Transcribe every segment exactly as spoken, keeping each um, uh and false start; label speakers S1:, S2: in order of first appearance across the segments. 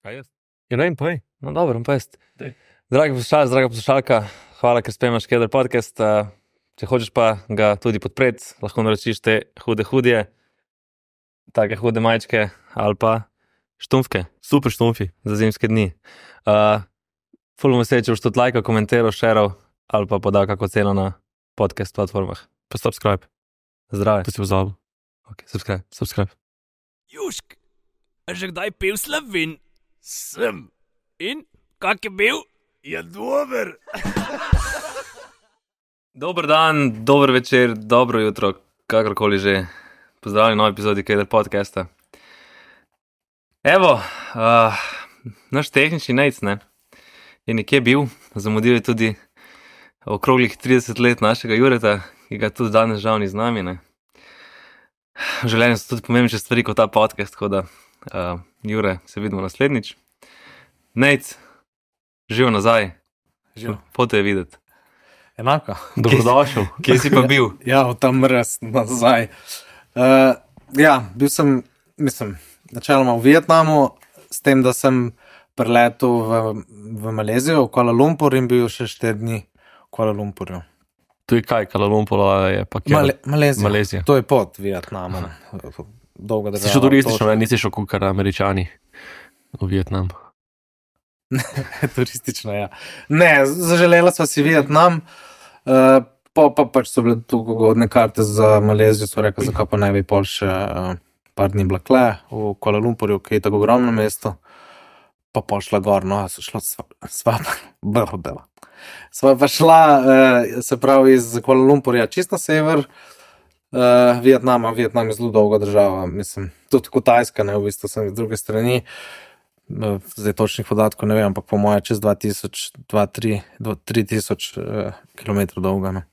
S1: Kaj jaz?
S2: Ja, ne, povej.
S1: No, dobro, pa jaz.
S2: Dej.
S1: Dragi poslušalec, draga poslušalka, hvala, ker spremljaš Keder podcast. Uh, če hočeš pa ga tudi podpreti, lahko naročiš te hude hudje, take hude majčke ali pa štumfke
S2: Super štumfi.
S1: za zimske dni. Uh, ful bom vesel, če boš tudi lajkal, komentiral, šeral ali pa podal kako ceno na podcast platformah.
S2: Pa subscribe.
S1: Zdrave.
S2: To si pozabil.
S1: Ok, subscribe.
S2: Subscribe.
S3: Južk, a že kdaj pil Slovin? Sem. In, kak je bil? Je dober.
S1: Dober dan, dober večer, dobro jutro, kakorkoli že. Pozdravljeni v novi epizodi Keder podcasta. Evo, uh, naš tehnični nejc, ne, je nekje bil, zamudil je tudi okroglih trideset let našega Jureta, ki ga tudi danes žal ni z nami, ne. V življenju so tudi pomembnejše stvari kot ta podcast, tako da, uh, Jure, se vidimo naslednjič. Nejc, živ nazaj,
S4: Živ.
S1: pote je videti.
S4: Enako.
S2: Dobrodošel.
S1: Kje si pa bil?
S4: Ja, v tam mrz nazaj. Uh, ja, bil sem, mislim, načeloma v Vietnamu, s tem, da sem preletel v, v Malezijo, v Kuala Lumpur in bil še štiri dni v Kuala Lumpurju.
S2: To je kaj, Kuala Lumpur je pa kjer?
S4: Male, Malezija.
S2: Malezija.
S4: To je pod Vietnamom. Dolga država.
S2: Si šel turistično, ne? Nisi šel kukar Američani v Vietnam.
S4: Turistično, ja. Ne, zaželela sva si Vietnam, uh, pa, pa pač so bile tu ugodne karte za Malezijo, so rekli, zakaj pa ne bi pol še uh, par dni blakle v Kuala Lumpurju, ki je tako ogromno mesto, pa pol šla gor, no, so šla sva, sva, brdela. Sva pa šla, uh, se pravi, iz Kuala Lumpurja čist na sever, uh, Vietnama, Vietnam je zelo dolga država, mislim, tudi Kitajska, ne, v bistvu sem iz druge strani, zdaj točnih podatkov ne vem, ampak po moje čez dva tisoč, dva, tri, tri tisoč uh, kilometrov dolga. No.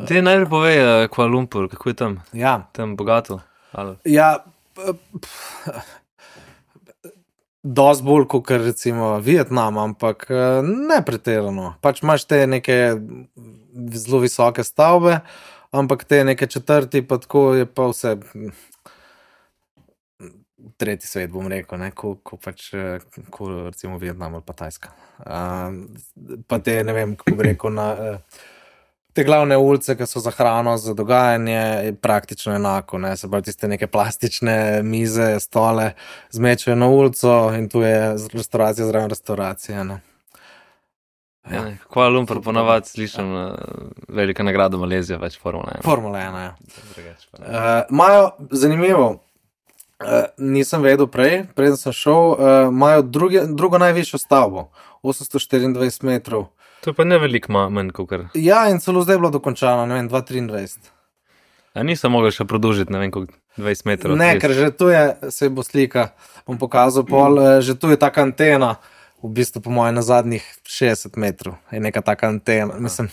S1: Te najprej povej, uh, Kuala Lumpur, kako je tam?
S4: Ja,
S1: Tam bogato? Ali?
S4: ja pff, dosti bolj kot recimo Vietnam, ampak uh, ne pretirano. Pač imaš te neke zelo visoke stavbe, ampak te neke četrti, pa tako je pa vse tretji svet, bom rekel, ne, ko, ko pač, ko recimo Vietnam ali pa Tajska. Uh, pa te, ne vem, kako bi rekel, na, uh, te glavne ulice, ki so za hrano, za dogajanje, je praktično enako, ne, se pravi tiste neke plastične mize, stole, zmečajo na ulico in tu je restauracija zraven restauracije, ne.
S1: Ja. Kuala Lumpur ponavadi slišim uh, velika nagrada Malezija, več Formula ena.
S4: Formula ena, ja.
S1: Drugače pa ne.
S4: Uh, Imajo, zanimivo, Uh, nisem vedel prej, preden sem šel, uh, imajo druge, drugo najvišjo stavbo, osemsto štiriindvajset metrov.
S1: To je pa ne veliko ma- manj, kakor.
S4: Ja, in celo zdaj je bilo dokončano, ne vem, dva triindvajset.
S1: A nisem mogel še produžiti, ne vem, koliko dvajset metrov.
S4: Ne,
S1: trideset.
S4: ker že tu je, se bo slika, bom pokazal pol, uh, že tu je taka antena, v bistvu po moje na zadnjih šestdeset metrov, je neka taka antena, mislim.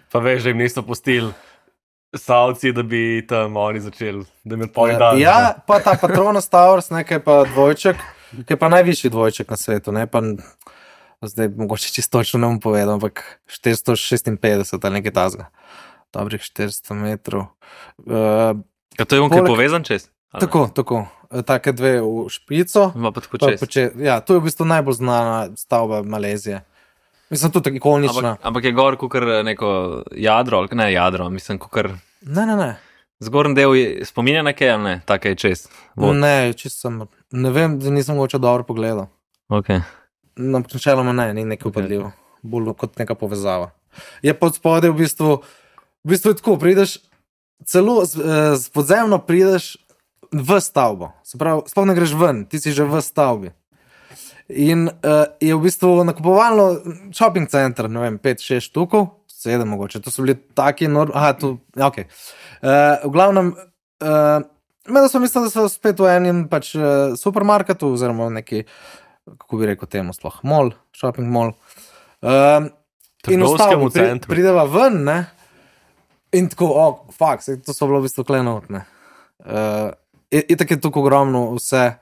S2: Pa veš, da jim niso pustili Savci, da bi tam oni začeli, da bi pol dan.
S4: Ja, pa ta Patronus Towers, nekaj pa dvojček, ki je pa najvišji dvojček na svetu, ne, pa zdaj mogoče čisto točno ne bom povedal, ampak štiristo šestinpetdeset ali nekaj tazga. Dobrih štiristo metrov. Uh,
S1: A to je on, ki je
S4: poleg-
S1: povezan čez? Ali ne?
S4: tako, tako. E, Take dve v špico.
S1: Ima pa tako
S4: Pa
S1: čez.
S4: poče, ja, to je v bistvu najbolj znana stavba Malezije. Mislim, tudi tako ikonična.
S1: Ampak, ampak je gor kakor neko jadro, ali ne jadro, mislim, kakor
S4: Ne, ne, ne.
S1: zgornji del je, spominja na kaj, ali ne, tako je čez. Vod.
S4: Ne, čisto sem, ne vem, da nisem mogoče dobro pogledal.
S1: Ok.
S4: No, načeloma ne, ni nekaj upadljivo. Bolj kot neka povezava. Je pod spodaj v bistvu, v bistvu je tako, prideš, celo z, eh, z podzemno prideš v stavbo. Se pravi, sploh ne greš ven, ti si že v stavbi. In uh, je v bistvu nakupovalno shopping center, ne vem, pet, šest štukov, sedem mogoče, to so bili taki enormni, aha, tu, ja, ok. Uh, v glavnem, uh, da sem mislil, da so spet v enem pač uh, supermarketu, oziroma neki, kako bi rekel temu sploh, mall, shopping mall. Uh, in v
S2: Trgovskemu
S4: stavbo pri,
S2: centru.
S4: prideva ven, ne, in tako, o, oh, fak, to so bilo v bistvu klenot, ne. Uh, je, je tako je tukaj ogromno vse,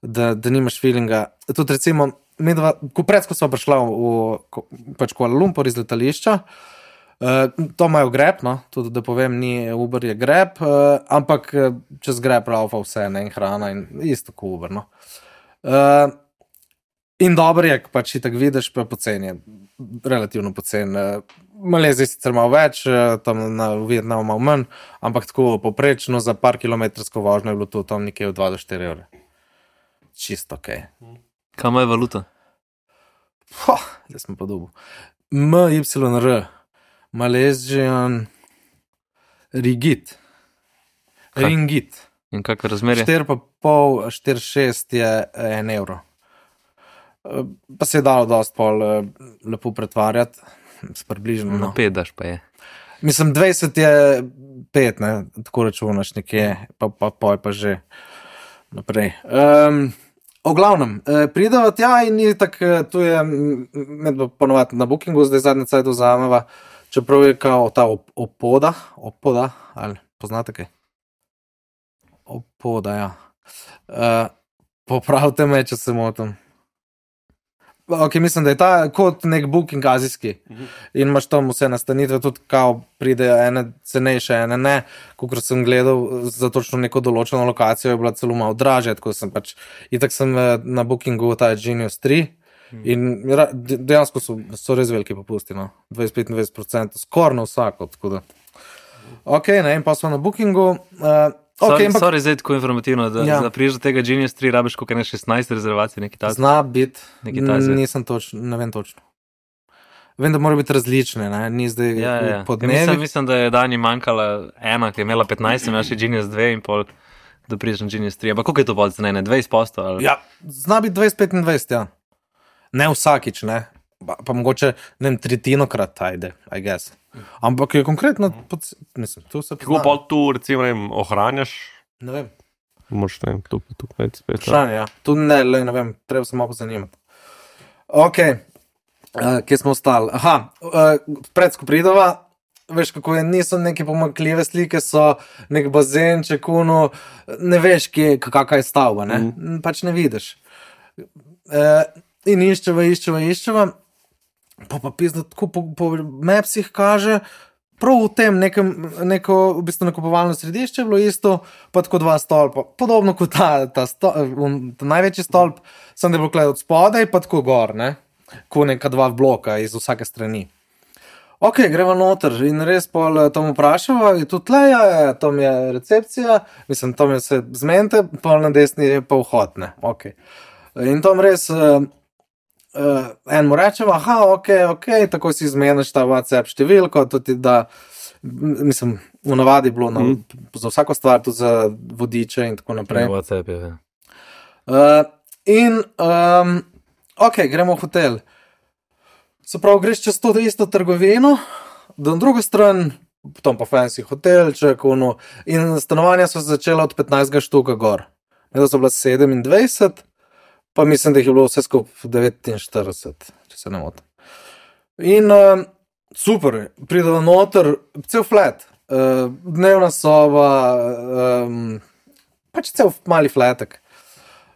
S4: da, da nimaš feelinga. Tudi recimo, medva, ko predsko so prišla v ko, pač Kuala Lumpur iz letališča, uh, to imajo Grab, no, tudi da povem, ni Uber, je Grab, uh, ampak čez Grab raufa vse, ne, in hrana in isto kot Uber, no. Uh, in dobro je, pač ti tako vidiš, pa poceni je, relativno poceni. Uh, Malezija sicer malo več, uh, tam na Vietnamu malo manj, ampak tako poprečno za par kilometrsko vožnjo je bilo to tam nekje od dva do štiri evre. Čisto ok.
S1: Kam je valuta?
S4: Ha, zdaj smo pa dobu. M Y R, Malaysian Ringgit.
S1: Kaj?
S4: Ringgit.
S1: In kakšno razmerje?
S4: štiri pa pol, štiri šest je en evro. Eh, Pa se je dalo dosti pol eh, lepo pretvarjati, s približno.
S1: Na
S4: No.
S1: pet daš pa je.
S4: Mislim, dvajset je pet, ne, tako računaš nekje, pa, pa pol pa že naprej. Um, o glavnem, eh, prideva tja in je tako, eh, tu je mm, med ponovadi na Bookingu, zdaj zadnje cajt vzameva, čeprav je kao ta op- opoda, opoda, ali poznate kaj? Opoda, ja. Uh, popravite me, če se motim. Ok, mislim, da je ta kot nek booking azijski in imaš tam vse nastanitve, tudi kao pridejo ene cenejše, ene ne. Kakor sem gledal za točno neko določeno lokacijo, je bila celo malo dražja, tako sem pač, itak sem eh, na bookingu ta Genius tri in ra- de- dejansko so, so res veliki popusti, no. dvajset do petindvajset procentov, skoraj na vsako, tako da. Ok, ne, in pa smo na bookingu. Uh, ok,
S1: Sorry,
S4: ampak
S1: sorry, zdaj tako informativno, da,
S4: Ja.
S1: da priješ do tega Genius tri, rabiš koliko ne šestnajst rezervacij, nekaj takega.
S4: zna biti,
S1: Nekaj takega.
S4: nisem točno, ne vem točno. Vem, da morajo biti različne, ne, ni zdaj
S1: Ja, ja, ja.
S4: po
S1: Ja, mislim,
S4: dnevih.
S1: mislim, da je Dani manjkala ena, ki je imela petnajst, imaš še Genius dva in pol, da priješ na Genius tri. Ampak koliko je to pol cenene? dvajset posto ali?
S4: Ja, zna biti dvajset do petindvajset, ja. Ne vsakič, ne. Pa, pa mogoče, ne vem, tretjinokrat, ajde, I guess. Ampak je konkretno, pod, mislim, tu se
S2: Kako pa tu, recimo, ne vem, ohranjaš,
S4: Ne vem,
S2: moš ne vem, tu pa tu več spet.
S4: vprašanje, ja. Tu ne, le, ne vem, treba se malo pozanimati. Ok, uh, kje smo ostali? Aha, uh, pred Skopridova, veš, kako je, niso neke pomakljive slike, so nek bazenček, kuno, ne veš, kje, kakva je stavba, ne, mm. pač ne vidiš. Uh, in iščeva, iščeva, iščeva, pa pa pizda, tako po, po mapsih kaže, prav v tem nekem, neko, v bistvu nakupovalno središče je bilo isto, pa tako dva stolpa, podobno kot ta, ta, sto, um, ta največji stolp, sem da je bilo gledal od spodaj, pa tako gor, ne, ko neka dva bloka iz vsake strani. Ok, greva noter in res pol eh, tam vprašava, je tu tleja, je, tam je recepcija, mislim, tam je se zmente, pol na desni je pa vhod, ne, ok. In tam res, uh, uh, en mu rečeva, aha, ok, ok, tako si izmeniš ta WhatsApp številko, tudi da, m- mislim, v navadi je bilo na, za vsako stvar, tudi za vodiče in tako naprej.
S1: WhatsApp je. Ja.
S4: Uh, in, um, ok, gremo v hotel. Se pravi, greš čez to isto trgovino, do drugo stran, tam pa fancy hotelček, ono, in stanovanja so se začela od petnajst štuka gor. Nekdo so bila sedemindvajset, pa mislim, da jih je bilo vse skupaj devetinštirideset, če se ne motim. In um, super, pridemo noter, cel flat, uh, dnevna soba, um, pač cel mali flatek.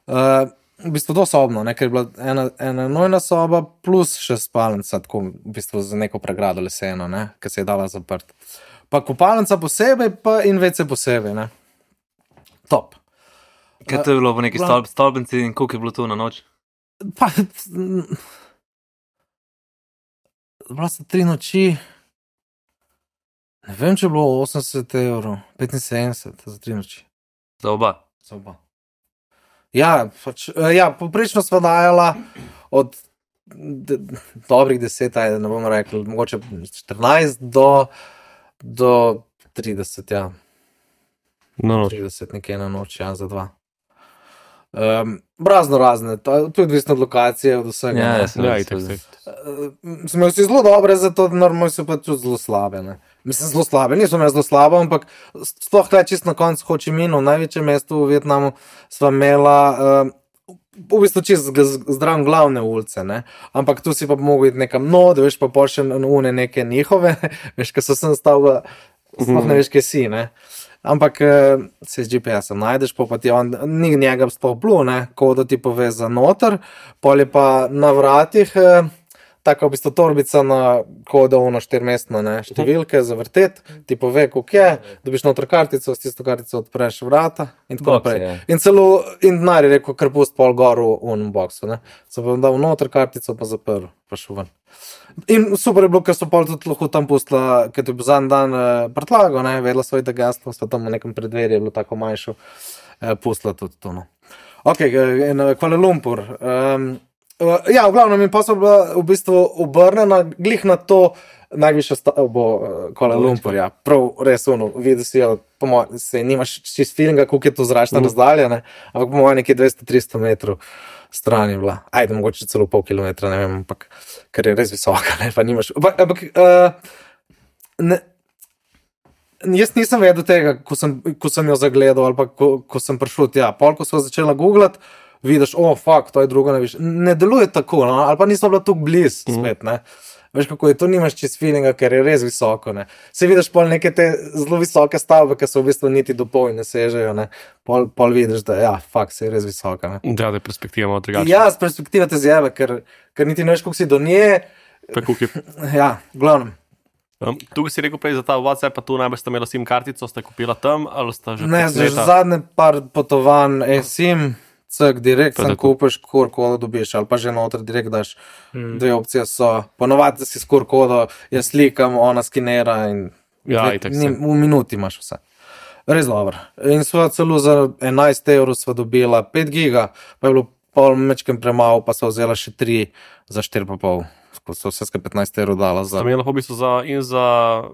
S4: Uh, v bistvu dosobno, ne, ker je bila ena, ena nojna soba plus še spalnica, tako v bistvu za neko pregrado leseno, ne, ki se je dala zaprt. Pa kopalnica posebej, pa in vece posebej, ne. Top.
S1: Kaj to je bilo po neki
S4: Glavno-
S1: stolp, stolpnici in koliko je bilo tu na noč?
S4: Pa, bila so tri noči, ne vem, če je bilo osemdeset evrov, petinsedemdeset za tri noči.
S1: Za oba.
S4: Za oba. Ja, pač, eh, ja, poprečno sva dajala od de, dobrih deset, ajde, ne bom rekel, mogoče štirinajst do, do trideset, ja,
S2: No, no.
S4: trideset nekje na noč, ja, za dva. Um, razno razne, to, to je odvisno od lokacije, od vsega.
S1: Ja,
S4: ne.
S1: ja, seveda,
S2: Ja, itak,
S1: seveda.
S2: itak.
S4: Smo imeli vsi zelo dobre, zato normalno so pa tudi zelo slabe. Ne? Mislim, zelo slabe, niso imeli zelo slabo, ampak sploh kaj čist na koncu Ho Chi Minhu, največje mesto v Vietnamu, sva imela uh, v bistvu čist zdrav glavne ulice, ne? Ampak tu si pa mogel iti nekam, no, da veš pa pol še une neke njihove, veš, ko so sem stavila, sploh ne veš, kje si, ne. Ampak eh, se z G P S-om najdeš, pa, pa ti on, ni njega sploh blu, ne, ko da ti pove za noter, pol je pa na vratih eh, taka v bistvu torbica na kodovno štirmestno, ne, številke za vrtet, ti pove, koliko je, dobiš noter kartico, s tisto kartico odpreš vrata in tako
S1: Box,
S4: naprej.
S1: ja.
S4: In celo, in denar je rekel, kar pust pol gor v unem boksu, ne. So pa dal noter kartico, pa zaprl, pa šel ven. In super je bilo, ker so pol tudi lahko tam pustila, ker ti bo zadnji dan eh, prtlago, ne, vedela svoj da gaslo, so tam v nekem predverju, je bilo tako manjšo, eh, pustila tudi to, no. Ok, in Kuala Lumpur. Um, ja, v glavnem, in pa so bila v bistvu obrnena glih na to najvišjo stavbo Kuala Lumpur, ja. Prav, res ono, vidi si jo, po mojem, se nimaš čist feelinga, koliko je to zračna mm. razdalja, ne, ampak po mojem nekje dvesto do tristo metrov stran je bila. Ajde, mogoče celo pol kilometra, ne vem, ampak, ker je res visoka, ne, pa nimaš, ampak, ampak uh, ne, jaz nisem vedel tega, ko sem, ko sem jo zagledal, ali pa ko, ko sem prišel tja. Pol, ko sem začela googlati, vidiš, o, oh, fuck, to je drugo najvišje. Ne deluje tako, no? Ali pa nismo bila tukaj bliz spet, ne. Veš, kako je, to nimaš čist feelinga, ker je res visoko, ne. Se vidiš pol neke te zelo visoke stavbe, ki so v bistvu niti do pol ne sežejo, ne. Pol, pol vidiš, da ja, fuck, se je res visoka, ne.
S2: Da, da je perspektiva malo drugačna.
S4: Ja, z perspektive te zjebe, ker, ker niti ne veš, koliko si do nje.
S2: Pa koliko je...
S4: Ja, v glavnem.
S2: Um, tukaj si rekel prej za ta WhatsApp, pa tu najbolj ste imeli SIM kartico, ste kupila tam, ali ste že...
S4: Ne, že zadnje par potovanj e-SIM, cek direkt, sem kupiš kur kodo dobiš, ali pa že noter direkt daš, hmm. dve opcije so, ponovadi si skur kodo, jaz slikam, ona skinera in
S2: ja,
S4: dve,
S2: itak
S4: ni, v minuti imaš vse. Res dobro. In sva celo za enajst evrov sva dobila pet giga, pa je bilo pol mečkem premalo, pa sva vzela še tri za štiri pa pol. So vse skupaj petnajst evrov dala za...
S2: Tam je lahko v bistvu za, in za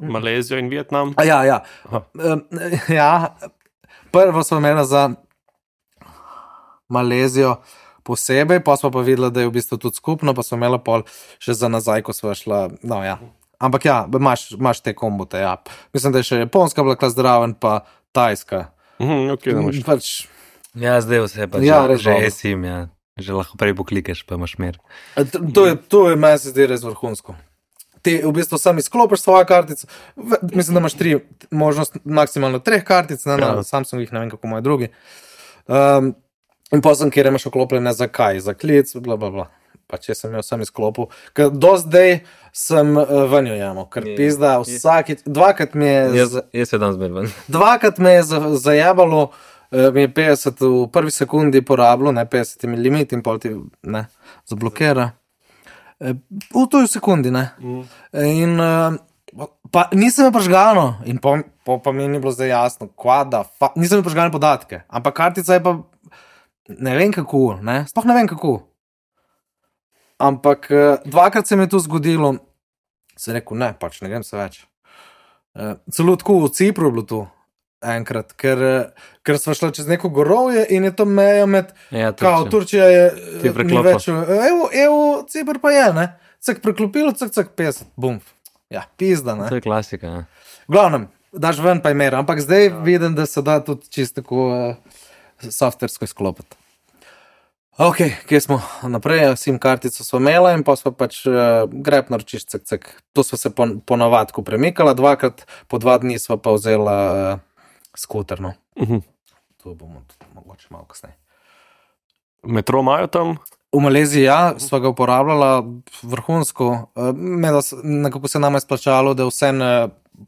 S2: Malezijo in Vietnam?
S4: A ja, ja. Um, ja, prvo smo imela za Malezijo posebej, pa smo pa videla, da je v bistvu tudi skupno, pa smo imela pol še za nazaj, ko smo šla, no ja. Ampak ja, imaš, imaš te kombote, ja. Mislim, da je še Japonska bila klas zdraven, pa Tajska.
S2: Mhm, ok, da imaš.
S4: Pač...
S1: Ja, zdaj vse pa
S4: Ja,
S1: že,
S4: res
S1: že
S4: dobro.
S1: e-SIM, ja. Že lahko prej poklikeš, pa imaš mer.
S4: To je, to je meni se zdi res vrhunsko. Ti v bistvu sam izklopiš svojo kartico, v- mislim, da imaš tri možnost, maksimalno treh kartic, ne, na
S2: Ja.
S4: Samsungih, ne vem kako moji drugi. Um, in potem, kjer imaš oklopljene za kaj, za klic, bla, bla, bla. Pa če sem jo sam izklopil, ker do zdaj sem uh, ven jo jemal, ker
S1: Je.
S4: pizda vsakič, dvakrat mi je,
S1: Jaz,
S4: z,
S1: jaz se dam zmer ven.
S4: dvakrat me je za, zajebalo, uh, mi je petdeset v prvi sekundi porabilo, ne petdeset je limit in pol ti, ne, zablokira. Uh, v toj sekundi, ne.
S2: Mm.
S4: In uh, pa nisem je prižgano in po, po, pa mi ni bilo zdaj jasno, kva da, fa, nisem je prižgano podatke, ampak kartica je pa, ne vem kako, ne, sploh ne vem kako. Ampak uh, dvakrat se mi je to zgodilo, sem rekel, ne, pač ne grem se več. Uh, celo tako v Cipru je bilo to enkrat, ker, uh, ker smo šli čez neko gorovje in je to meja med,
S1: Ja,
S4: kao,
S1: Turčija.
S4: Turčija je,
S1: Ti
S4: uh, ni
S1: preklopil.
S4: več, uh, evo, evo, Cipr pa je, ne, cek preklopilo, cek, cek, petdeset, bum. Ja, pizda, ne.
S1: To je klasika, ja.
S4: V glavnem, daš ven pa je mer, ampak zdaj vidim, da se da tudi čisto tako uh, softversko izklopiti. Ok, kje smo naprej, SIM kartico smo imela in pa smo pač uh, grep naročiš, cek, cek. To smo se po, po navadku premikala, dvakrat po dva dni smo pa vzela uh, skuter, no.
S2: Mhm.
S4: To bomo tudi mogoče malo kasneje.
S2: Metro imajo tam?
S4: V Maleziji, ja, sva ga uporabljala vrhunsko, uh, meda, s- nekako se nama je splačalo, da vse ne,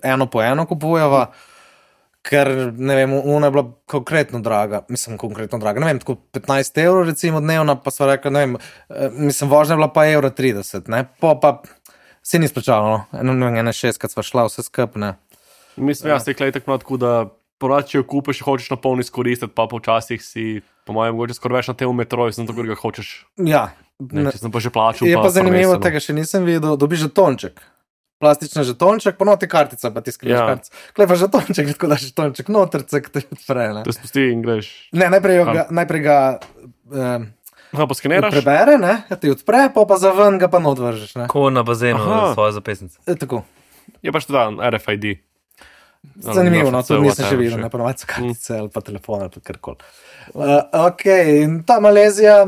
S4: eno po eno kupujeva, ker, ne vem, ona je bila konkretno draga, mislim, konkretno draga, ne vem, tako petnajst evrov recimo dnevna, pa sva rekla, ne vem, eh, mislim, vožnja je bila pa evro trideset, ne, po pa se ni splačalo, no, eno, ne vem, ene šest, kad sva šla vse skup, ne.
S2: Mislim, jaz se je tako tako, da porad, če jo kupiš, hočeš na polno izkoristiti, pa počasih si, po mojem, mogoče skoraj več na tem metroju, sem to, ker ga hočeš.
S4: Ja,
S2: Ne,
S4: ne,
S2: če sem pa že plačal.
S4: je pa zanimivo,
S2: prvenstveno.
S4: tega še nisem videl, dobiš žetonček. Plastičen žetonček, pa noti kartica, pa ti skriš
S2: Ja.
S4: kartico. Klej pa žetonček, tako daš žetonček noter, cek te odpre, ne.
S2: Te spusti in greš.
S4: Ne, najprej, jo
S2: Kam?
S4: ga, najprej ga um,
S2: Ha, poskeniraš?
S4: prebere, ne, ja ti odpre, pa pa za ven ga pa not vržeš, ne.
S1: Ko na bazenu
S2: Aha.
S1: svojo zapisnico.
S4: E, tako.
S2: Je pač da R F I D.
S4: Zanimivo, no, to nisem še videl, ne ponovadi so kartice ali pa telefon ali pa karkoli. Uh, ok, in ta Malezija,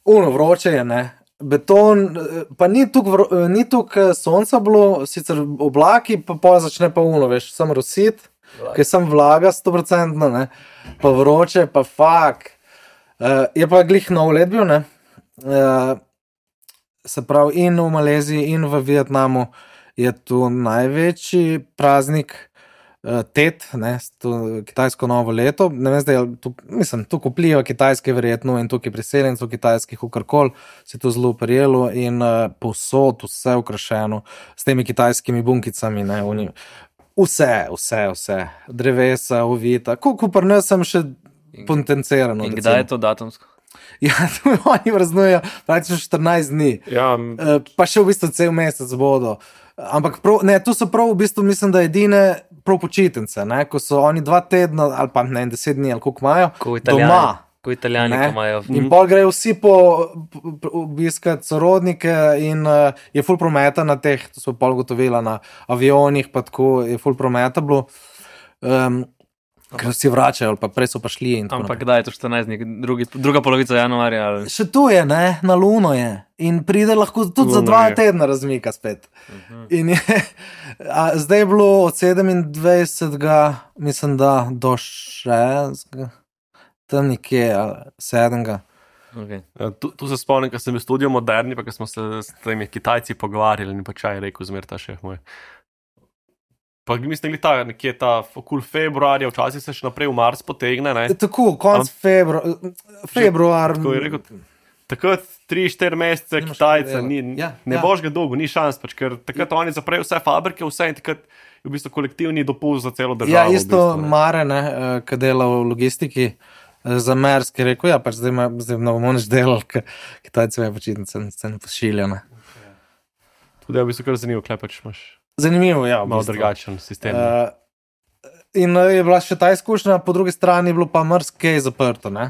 S4: uno vroče je, ne. Beton, eh, pa ni tukaj vro- ni tukaj sonca bilo, sicer oblaki, pa pol začne pa uno, veš, sam rosit, ki sem vlaga sto procent, ne, pa vroče, pa fak. Uh, je pa glih nov let bil, ne. Uh, se pravi, in v Maleziji, in v Vietnamu je tu največji praznik uh, Tet, ne, to kitajsko novo leto. Ne vem, zdaj, tu, mislim, tu kupljijo kitajske verjetno in tukaj priseljencev kitajskih, ukarkol se to zelo prijelo in uh, povsod vse ukrašeno s temi kitajskimi bunkicami, ne, oni, vse, vse, vse, drevesa, ovita, ko pa ne sem še potencirano.
S1: In kdaj je to datumsko?
S4: Ja, to oni praznujejo praktično štirinajst dni.
S2: Ja,
S4: Uh, pa še v bistvu cel mesec bodo. Ampak prav, ne, tu so prav v bistvu, mislim, da edine prav počitnice, ne, ko so oni dva tedna ali pa ne, deset dni ali koliko imajo,
S1: Ko italijani,
S4: doma.
S1: ko italijani
S4: Ne?
S1: ko imajo.
S4: In pol grejo vsi po, po, po obiskat sorodnike in uh, je ful prometa na teh, to so pol gotovila na avionih, pa tako je ful prometa bilo. Um, ker vsi vračajo, ali pa prej so pa šli in tako
S1: Ampak kdaj je to štirinajst dni? Drugi, druga polovica januarja? Ali...
S4: Še tu je, ne, na Luno je. In pride lahko tudi
S2: Luno
S4: za dva
S2: je.
S4: tedna razmika spet. Uh-huh. In je, a, zdaj je bilo od sedemindvajsetega, mislim, da do šestega, tam nekje, sedmega.
S1: Okay.
S2: Ja, tu, tu se spomnim, ko sem bil v studiu Moderni, pa ko smo se s temi Kitajci pogovarjali in pa čaj rekel, zmer ta šef moj. Pa mislim, da ta, nekje ta okul februarja, včasih se še naprej v Mars potegne, ne?
S4: Tako, konc februar, februar.
S2: Tako je rekel, takrat tri štiri mesece
S4: Nimaš
S2: Kitajca,
S4: kaj
S2: ni,
S4: delati. Ja,
S2: ne
S4: ja.
S2: boš ga dolgo, ni šans, pač, ker takrat oni zaprejo vse fabrike, vse in takrat je v bistvu kolektivni dopust za celo državo.
S4: Ja, isto
S2: v bistvu, ne.
S4: Mare, ne, eh, ki dela v logistiki, eh, za Mersk je rekel, ja, pač zdaj, ima, zdaj ne bomo nič delali, ker Kitajci me počitnice se ne pošiljajo, ne.
S2: Tudi je v bistvu kar zanimivo, kaj pač imaš
S4: Zanimivo, ja. v
S2: malo
S4: bistvu.
S2: drugačen sistem.
S4: Uh, in uh, je bila še ta izkušnja, po drugi strani je bilo pa marsikaj zaprto. Ne?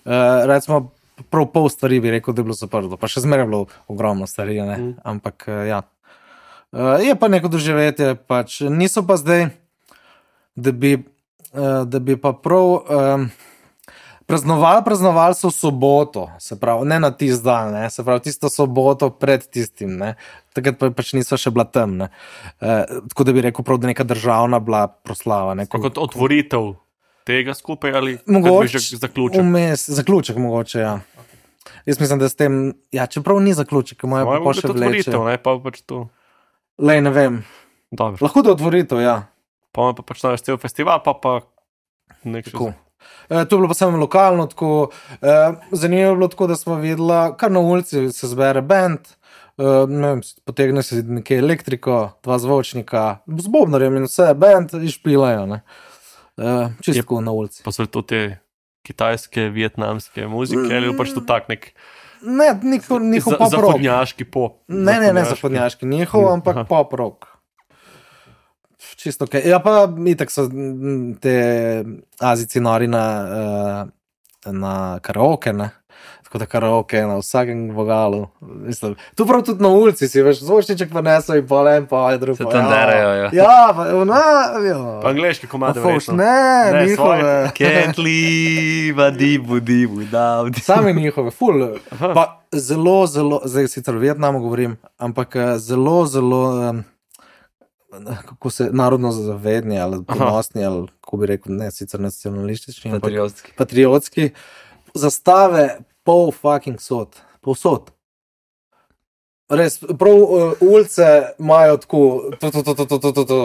S4: Uh, recimo, prav pol stvari bi rekel, da je bilo zaprto, pa še zmeraj je bilo ogromno stvari, ne?
S2: Mm.
S4: Ampak uh, ja. Uh, je pa neko doživetje, pač niso pa zdaj, da bi, uh, da bi pa prav um, praznovali, praznovali so v soboto, se pravi, ne na tisti dan, ne? Se pravi, tisto soboto pred tistim, ne? Takrat pa pač niso še bila tam, ne. Uh, tako da bi rekel prav, da neka državna bila proslava. Ne.
S2: Pa kot otvoritev tega skupaj ali
S4: Mogoče,
S2: že zaključek?
S4: Vmes, zaključek mogoče, ja. Jaz mislim, da s tem, ja, čeprav ni zaključek, imajo
S2: Moje
S4: pa
S2: bo
S4: še
S2: otvoritev,
S4: vleče.
S2: ne, pa pač to.
S4: Lej, ne vem,
S2: Dobro.
S4: lahko da otvoritev, ja.
S2: Pa pa pač naš cel festival, pa pa nek še
S4: Tako. E, to je bilo pa samo lokalno, tako, e, zanimivo je bilo tako, da smo videla, kar na ulici se zbere band, e, ne vem, potegne se nekaj elektriko, dva zvočnika, z bobnarjem in vse, band in špilajo, ne. E, čistko na ulici.
S2: pa so to te kitajske, vietnamske muzike ali pač to tak nek
S4: Ne, njihov, njihov
S2: za,
S4: pop rock.
S2: zahodnjaški pop.
S4: Ne, ne, ne zahodnjaški, njihov, ampak
S2: Aha.
S4: pop rock. Čisto ok. Ja, pa itak so mm, te Azijci nori na, uh, na karaoke, ne. Tako da karaoke na vsakem vogalu. Mislim, tu prav tudi na ulici si, veš, zvočniček pa neso in pol en, pa je drug.
S1: Se
S4: pa,
S1: tam derajo, ja.
S4: Ja, pa, na, ja.
S2: Pa angleški komade
S4: Pa fouš,
S2: verjetno.
S4: ne,
S2: Ne,
S4: njihove.
S2: svoje.
S1: Can't leave a dibu dibu without.
S4: Sami njihove, ful. Pa zelo, zelo, zdaj sicer v Vietnamu govorim, ampak eh, zelo, zelo, um, kako se, narodno zavedni ali ponosni, ali kako bi rekel, ne, sicer nacionalistični, ampak
S1: Patriotski.
S4: patriotski, zastave pol fucking sod, povsod. Res, prav uh, ulice imajo tako, to, to, to, to, to, to, to, to,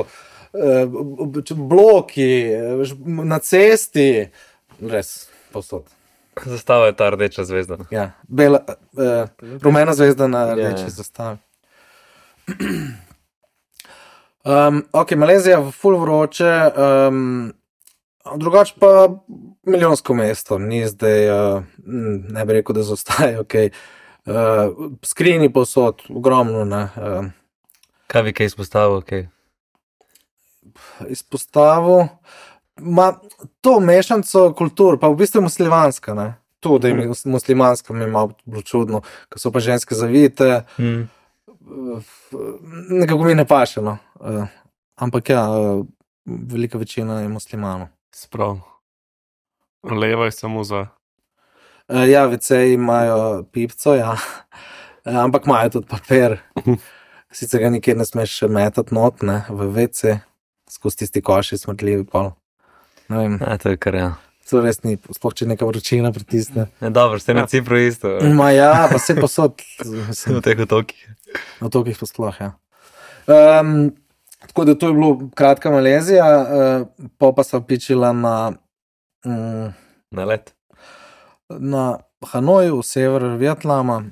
S4: uh, bloki, eh, ž- na cesti, res, povsod.
S1: Zastava je ta rdeča zvezda.
S4: Ja, bela, uh, rumena zvezda na
S1: Ja,
S4: rdeči
S1: ja.
S4: zastavi. Um, ok, Malezija, ful vroče, um, drugače pa milijonsko mesto, ni zdaj, uh, ne bi rekel, da zaostaje, ok. Uh, skrini povsod, ogromno, ne. Uh,
S1: Kaj bi kaj izpostavil? Okay.
S4: izpostavil, ma to mešanco kultur, pa v bistvu je muslimanska, ne. To, da je muslimanska, mi je malo bilo čudno, ko so pa ženske zavite,
S1: Hmm.
S4: nekako mi ne paše, no. Uh, ampak ja, uh, velika večina je muslimanov.
S2: Sprav. Leva je samo za.
S4: Uh, ja, veceji imajo pipco, ja. Uh, ampak imajo tudi papir. Sicer ga nikjer ne smeš metati not, ne, v vece, skozi tisti koši smrtljivi pol. Ne vem,
S1: A, to je kar, ja.
S4: to res ni, sploh če neka vročina pritisne.
S1: Ne, dobro, ste na Cipru isto.
S4: Ma ja, pa se posod, mislim,
S1: V teh otokih.
S4: na otokih pa sploh, ja. Um, tako da to je bilo kratka Malezija, uh, pol pa sem pičila na, um,
S1: Na let.
S4: na Hanoju, v sever Vietnama.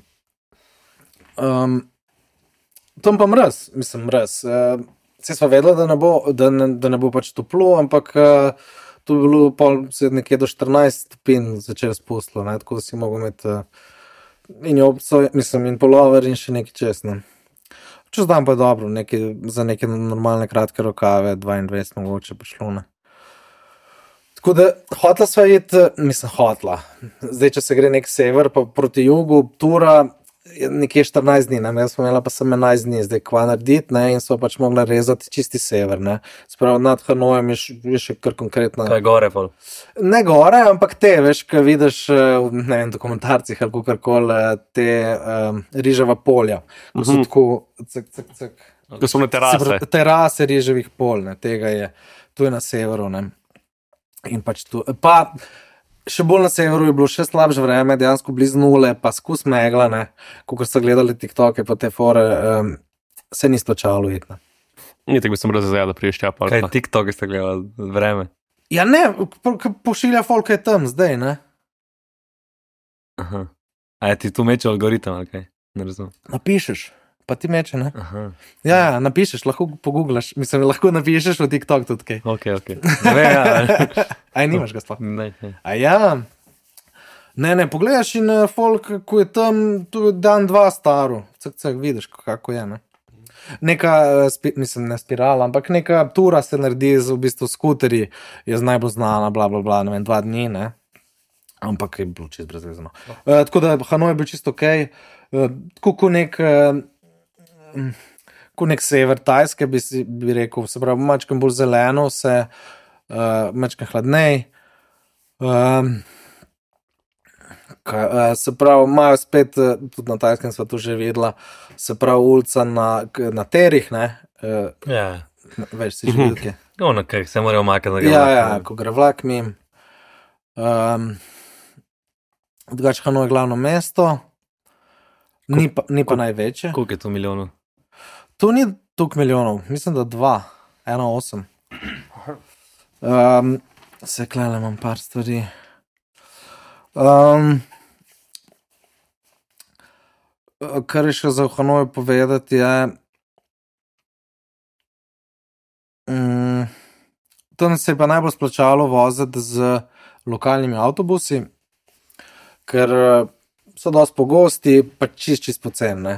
S4: Um, tam pa mraz, mislim mraz. Uh, se sva vedela, da ne bo, da ne, da ne bo pač toplo, ampak uh, to je bilo pol se nekje do štirinajst stopinj začelo spustilo, ne, tako da si mogel imeti uh, in jobco, mislim, in polover in še nekaj čez, ne. Čez dan pa je dobro, nekaj, za neke normalne kratke rokave, dvaindvajset mogoče prišlo, ne. Tako da hotla sva iti, mislim, hotla. Zdaj, če se gre nek sever, pa proti jugu, tura je nekje štirinajst dni, ne, jaz sem imela pa sem enajst dni, zdaj kva narediti, ne, in sva pač mogla rezati čisti sever, ne. Spravo nad Hanojem je, š- je še kar konkretna.
S1: Kaj gore, pol.
S4: Ne gore, ampak te, veš, ko vidiš eh, v, ne vem, dokumentarcih ali kakorkoli eh, te um, riževa polja, ko so
S2: Mhm.
S4: tako cak, cak, cak.
S2: Ko so na
S4: Se
S2: terase.
S4: pravi, terase riževih pol, ne, tega je, tu je na severu, ne. In pač tu, pa še bolj na severu je bilo še slabše vreme, dejansko blizu nule, pa skus megla, ne, kakor so gledali TikToke pa te fore, um, se ni splačalo iti, ne.
S2: Ni tako bi sem razjel, da priješ tja pa.
S1: Kaj TikTok ste gledali, vreme.
S4: Ja ne, po- ko pošilja folk je tam zdaj, ne.
S1: Aha. A je ti tu meče algoritem, ali kaj? Ne razumem.
S4: Napišeš, pa ti meče, ne.
S1: Aha.
S4: Ja, ja, napišeš, lahko poguglaš, mislim, lahko napišeš v TikTok tudi kaj.
S1: Ok, ok. Ne vem, ja.
S4: Aj, nimaš ga sploh.
S1: Ne, ne.
S4: A ja, ne, ne, pogledaš in uh, folk, ko je tam, tu je dan, dva staro, cak, cak, vidiš, kako je, ne. Neka, uh, spi, mislim, ne spirala, ampak neka tura se naredi z v bistvu skuterji, je z najbolj znana, bla, bla, bla, ne vem, dva dni, ne. Ampak je bilo čisto brezvezno. Uh, tako da Hanoj je bil čisto ok, uh, tako ko nek, uh, mm, ko nek sever Tajske, bi, si, bi rekel, se pravi, mačkem bolj zeleno, se uh, mačkem hladnej. Um, kaj, uh, se pravi, imajo spet, uh, tudi na Tajskem sva to že videla, se pravi, ulica na, k- na terih, ne, uh,
S1: Ja.
S4: veš, si že videl, kje.
S1: Ono, kaj se morajo makati na
S4: Ja, ja, ko gre vlak mim. Um, drugače Hanoj je glavno mesto, ni pa, ni pa največje.
S1: Koliko je tu milijonov?
S4: To ni toliko milijonov, mislim, da dva, ena osem. Um, se klele imam par stvari. Um, kar je še za Hanoj povedati, je, um, tam se je pa najbolj splačalo voziti z lokalnimi avtobusi, ker eh, so dosti pogosti, pa čist, čist poceni, ne.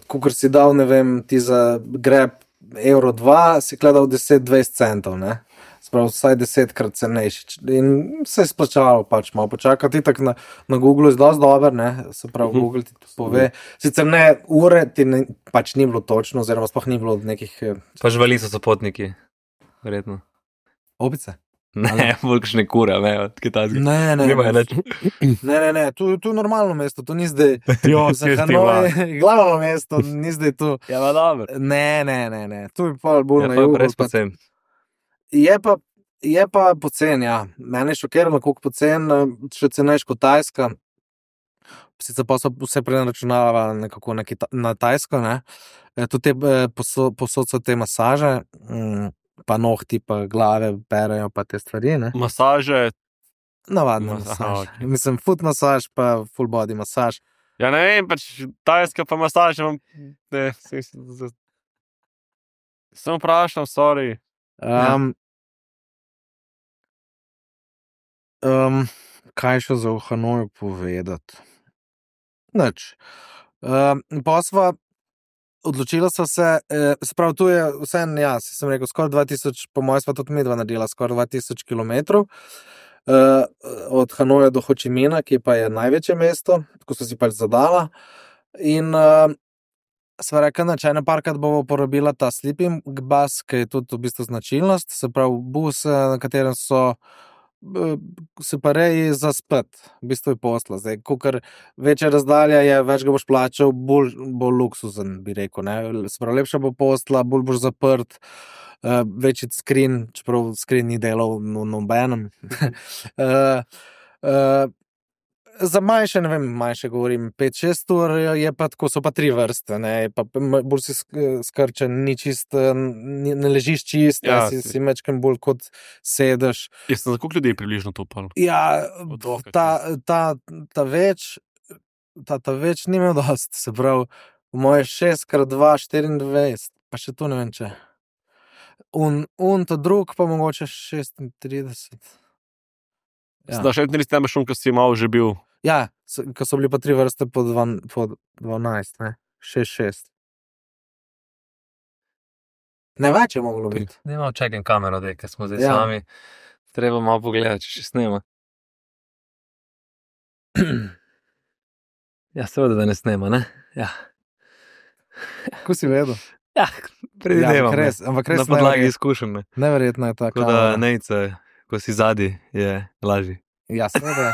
S4: Kot si dal, ne vem, ti za greb evro dva, si gledal deset dvajset centov, ne. Sprav, vsaj desetkrat cenejši. In se je splačalo pač malo počakati, tako na, na Googlu je dosti dober, ne, se pravi,
S2: Mhm.
S4: Google ti to pove. Sicer ne, ure ti ne, pač ni bilo točno, oziroma sploh ni bilo nekih eh,
S1: Pa živali so sopotniki, verjetno.
S4: opice.
S1: Ne, bolj kakšne kure, ne, od kitajskih.
S4: Ne, ne,
S1: Nimajo
S4: ne,
S1: nič.
S4: ne, ne, ne, tu, tu je normalno mesto, to ni zdaj,
S2: Jo,
S4: za
S2: kje si ti
S4: Hanoj,
S2: va?
S4: glavno mesto, ni zdaj tu.
S2: Ja, pa dobro.
S4: Ne, ne, ne, ne, tu je pa bolj
S1: Ja,
S4: na
S1: pa je
S4: jugu.
S1: pa res
S4: pa-
S1: pocen.
S4: Je pa, je pa pocen, ja. Mene je šokiralo, koliko pocen, eh, še cenejš kot Tajska. Sicer pa so vse preračunavali nekako na, Kita na Tajsko, ne. E, tudi te, eh, poso posod so te masaže, mm, pa nohti, pa glave perejo, pa te stvari, ne.
S2: Masaže.
S4: Navadna
S2: Mas- aha,
S4: masaž.
S2: okej.
S4: Mislim, foot masaž, pa full body masaž.
S2: Ja, ne vem, pač tajska pa masaže imam. Ne, sem, sem, sem vprašal, sorry.
S4: Um, um, kaj še za v Hanoju povedati? Nič. Um, pa sva odločila sva se, eh, se pravi, tu je vse, ja, si sem rekel, skoraj dva tisoč, po mojem sva tudi midva naredila, skoraj dva tisoč kilometrov. Uh, od Hanoja do Hočimina, ki pa je največje mesto, tako so si pač zadala. In uh, sva rekla, da če ene parkrat bomo porabila ta sleeping bus, ki je tudi v bistvu značilnost, se pravi bus, eh, na katerem so se pa reji za spet, v bistvu je posla. Zdaj, kakor večja razdalja je, več ga boš plačal, bolj, bolj luksuzen, bi rekel. Ne? Se pravi, lepša bo posla, bolj boš zaprt, uh, večji screen, čeprav screen ni delal v nobenem. uh, uh, Za manjše, ne vem, manjše govorim, pet šest ur je pa tako, so pa tri vrste, ne, pa bolj si skrčen, ni čist, ni, ne ležiš čist, ja, si, si mečkem bolj kot sedeš.
S2: Jaz sem za koliko ljudi približno to upal?
S4: Ja, ta, ta, ta več, ta, ta več ni imel dost, se pravi, v moje šest krat dva, štiriindvajset, pa še tu ne vem če. Un, un ta drug pa mogoče šestintrideset.
S2: Ja. Zdaj, še nekaj tebe šum, ko si malo že bil.
S4: Ja, ko so bili pa tri vrste po, dva, po dvanajst, ne? šest šest. Ne več je moglo biti.
S1: Ne imam čekam kamero, dej, ker smo zdaj
S4: Ja.
S1: sami. Treba malo pogledati, če še snema. Ja, seveda, da ne snema, ne? Ja.
S4: Ko si vedel?
S1: Ja, predvidevam.
S4: ampak res, ampak res
S1: Na podlagi
S4: neverjetno-
S1: izkušenj, ne.
S4: Neverjetno je ta
S1: Tako da
S4: kamera.
S1: nejce, ko si zadnji, je lažji.
S4: Ja, seveda.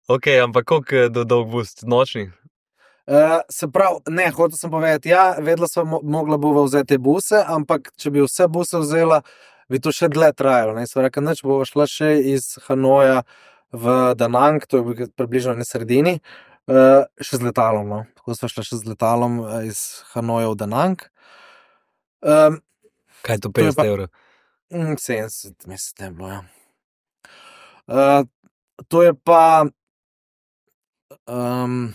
S1: Ok, ampak koliko do dolg boost? Nočni?
S4: Uh, se pravi, ne, hotel sem povedati, ja, vedela sem, mo mogla bova vzeti te buse, ampak če bi vse buse vzela, bi to še dlje trajalo. Ne? Sem rekel, neč bova šla še iz Hanoja v Da Nang, to je približno na sredini, uh, še z letalom. No? Tako sva šla še z letalom eh, iz Hanoja v Da Nang. Um,
S1: Kaj je to,
S4: To je
S1: petdeset
S4: pa-
S1: evrov?
S4: Mm, sedemdeset, mislim, da je bilo, ja. Uh, to je pa um,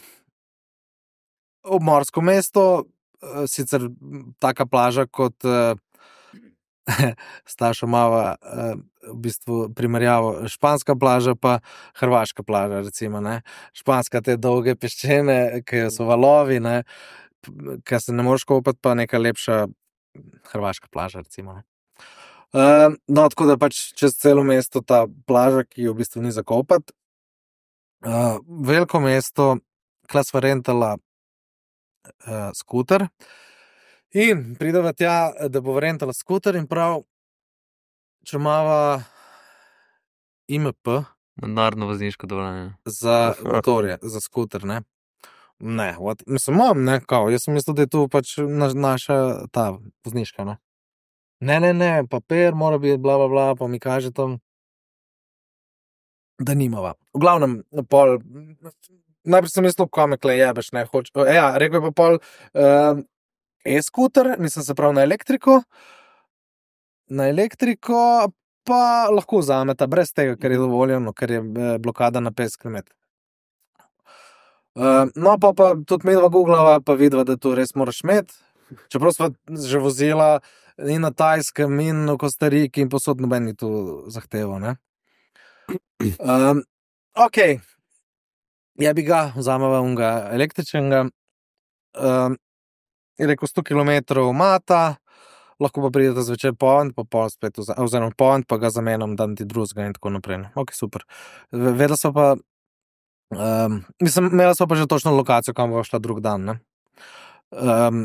S4: obmorsko mesto, uh, sicer m, taka plaža kot uh, Stašo mava uh, v bistvu primerjavo španska plaža pa hrvaška plaža, recimo, ne. Španska te dolge peščene, ki so valovi, ne, ki se ne moreš kopati, pa neka lepša hrvaška plaža, recimo, ne. Uh, no, tako da pač čez celo mesto ta plaža, ki jo v bistvu ni za kopati. Uh, veliko mesto, kla sva rentala uh, skuter in prideva tja, da bo rentala skuter in prav, če imava I M P
S1: Narodno vozniško dovoljenje.
S4: za motorje, za skuter, ne. Ne, what? Mislim, imam, ne, kao, jaz sem mislil, da je tu pač na, naša ta vozniška, ne. Ne, ne, ne, papir mora biti, bla, bla, bla, pa mi kaže tam, da nimava. V glavnem, pol, najprej sem mislil, kaj me kle jebeš, ne, hoč, ja, rekel je pa pol, uh, e-skuter, mislim, se pravi na elektriko, na elektriko pa lahko vzameta, brez tega, ker je dovoljeno, ker je eh, blokada na petdeset kilometrov. Uh, no, pa, pa tudi midva googlava, pa vidva, da to res moraš imeti. Čeprav sva že vozila in na Tajskem, in v Kostariki, in posod noben ni tu zahteval, ne. Um, ok, ja bi ga, vzameva unga električnega, um, je rekel sto kilometrov mata, lahko pa pridete zvečer povent, pa pol spet, vza, oziroma povent, pa ga zamenjam, dan ti drugega in tako naprej. Ne. Ok, super. Ve- Vedela sva pa, um, mislim, imela sva pa že točno lokacijo, kam bova šla drug dan, ne. Um,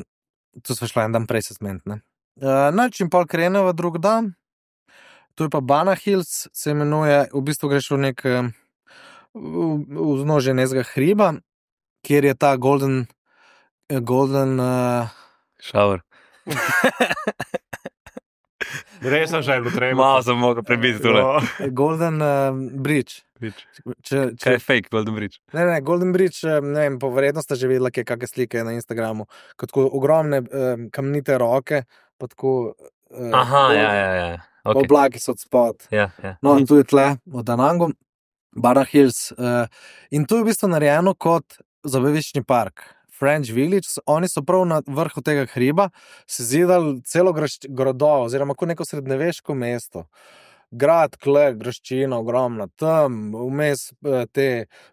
S4: tu sva šla en dan prej se zmeniti, ne. Uh, no, čim pol kreneva drug dan, to je pa Bana Hills, se imenuje, v bistvu greš v nek eh, v vznožje nekega hriba, kjer je ta golden, eh, golden, uh,
S1: Šavr.
S2: Res sem že bilo treba.
S1: Malo sem mogel prebiti tule.
S2: No.
S4: golden uh, bridge.
S1: Bridge.
S4: Če,
S1: Kaj
S4: če,
S1: je fake, Golden Bridge?
S4: ne, ne, golden bridge, eh, ne vem, po verjetnosti že videla, kje kakšne slike na Instagramu, kot tako ogromne eh, kamnite roke, pa tako, eh,
S1: Aha,
S4: gol-
S1: ja, ja, ja.
S4: pa
S1: Okay.
S4: oblaki so od spod.
S1: Ja, ja.
S4: No, in tu je tle, v Da Nangu, Bana Hills. Uh, in tu je v bistvu narejeno kot zabaviščni park. French Village, oni so prav na vrhu tega hriba se zidali celo grašč- grado, oziroma kot neko srednjeveško mesto. Grad, kle, graščina, ogromna, tam, vmes eh, te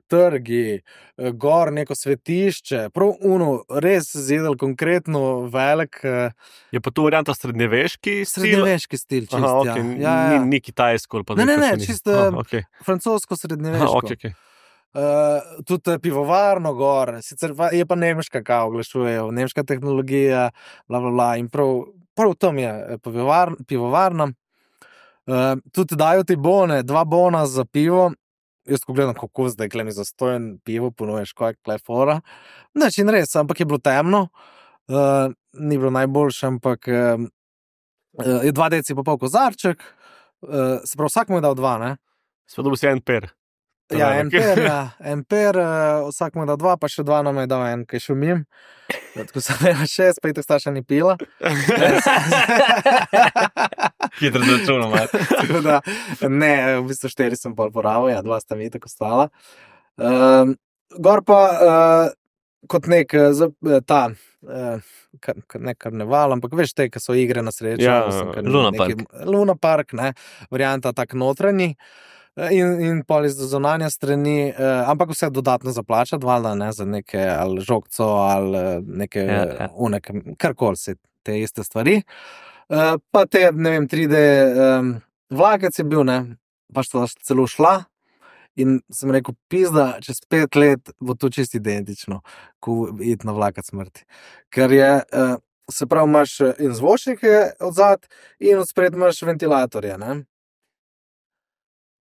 S4: trgi, eh, gor neko svetišče, prav uno, res zidali konkretno velik eh,
S2: Je pa tu varianta srednjeveški stil?
S4: srednjeveški stil, čist,
S2: Aha,
S4: ja.
S2: okay.
S4: Ja, ja.
S2: Ni, ni kitajsko ali pa
S4: Ne, ne,
S2: nekaj
S4: ne,
S2: se ni-
S4: čisto,
S2: Aha, okay.
S4: francosko
S2: Aha,
S4: srednjeveško.
S2: okay, okay.
S4: Uh, tudi eh, pivovarno gor, sicer pa, je pa nemška, kao oglašujejo, nemška tehnologija, bla, bla, bla, in prav, prav tam je eh, pivovar, pivovarna. Uh, tudi dajo ti bone, dva bona za pivo. Jaz ko gledam, kako zdaj kleni zastojen pivo, ponuješ, kaj je klefora. Neč in res, ampak je bilo temno. Uh, ni bilo najboljše, ampak uh, uh, je dva deci pa pol kozarček. Uh, se pravi, vsak mu je dal dva, ne?
S2: Sva dobil si en per.
S4: Ja, en per, ja, en per, uh, vsak mu je dal dva, pa še dva nam je dal en, kaj šumim. Tako sem imela šest, pa je to starša ni pila.
S1: Hitro začunom,
S4: Tako da, ne, v bistvu štiri sem pol porabil, ja, dva sta mi tako stala. Um, gor pa, uh, kot nek, uh, ta, uh, kar, ne karneval, ampak veš te, ki so igre na srečo.
S2: Ja,
S4: mislim, kar
S1: Luna
S4: neki-
S1: Park.
S4: Luna Park, ne, varianta tak notranji. In, in pol iz zunanja strani, eh, ampak vse dodatno zaplačati, valjda, ne, za neke ali žogco ali eh, neke,
S1: Ja,
S4: ja,
S1: ja.
S4: ja. karkoli se te iste stvari. Eh, pa te, ne vem, tri D um, vlakec je bil, ne, pa sta celo šla in sem rekel, pizda, čez pet let bo to čisto identično, ko iti na vlakec smrti. Ker je, eh, se pravi, imaš eh, in zvočnike odzad in odspred imaš ventilatorje, ne.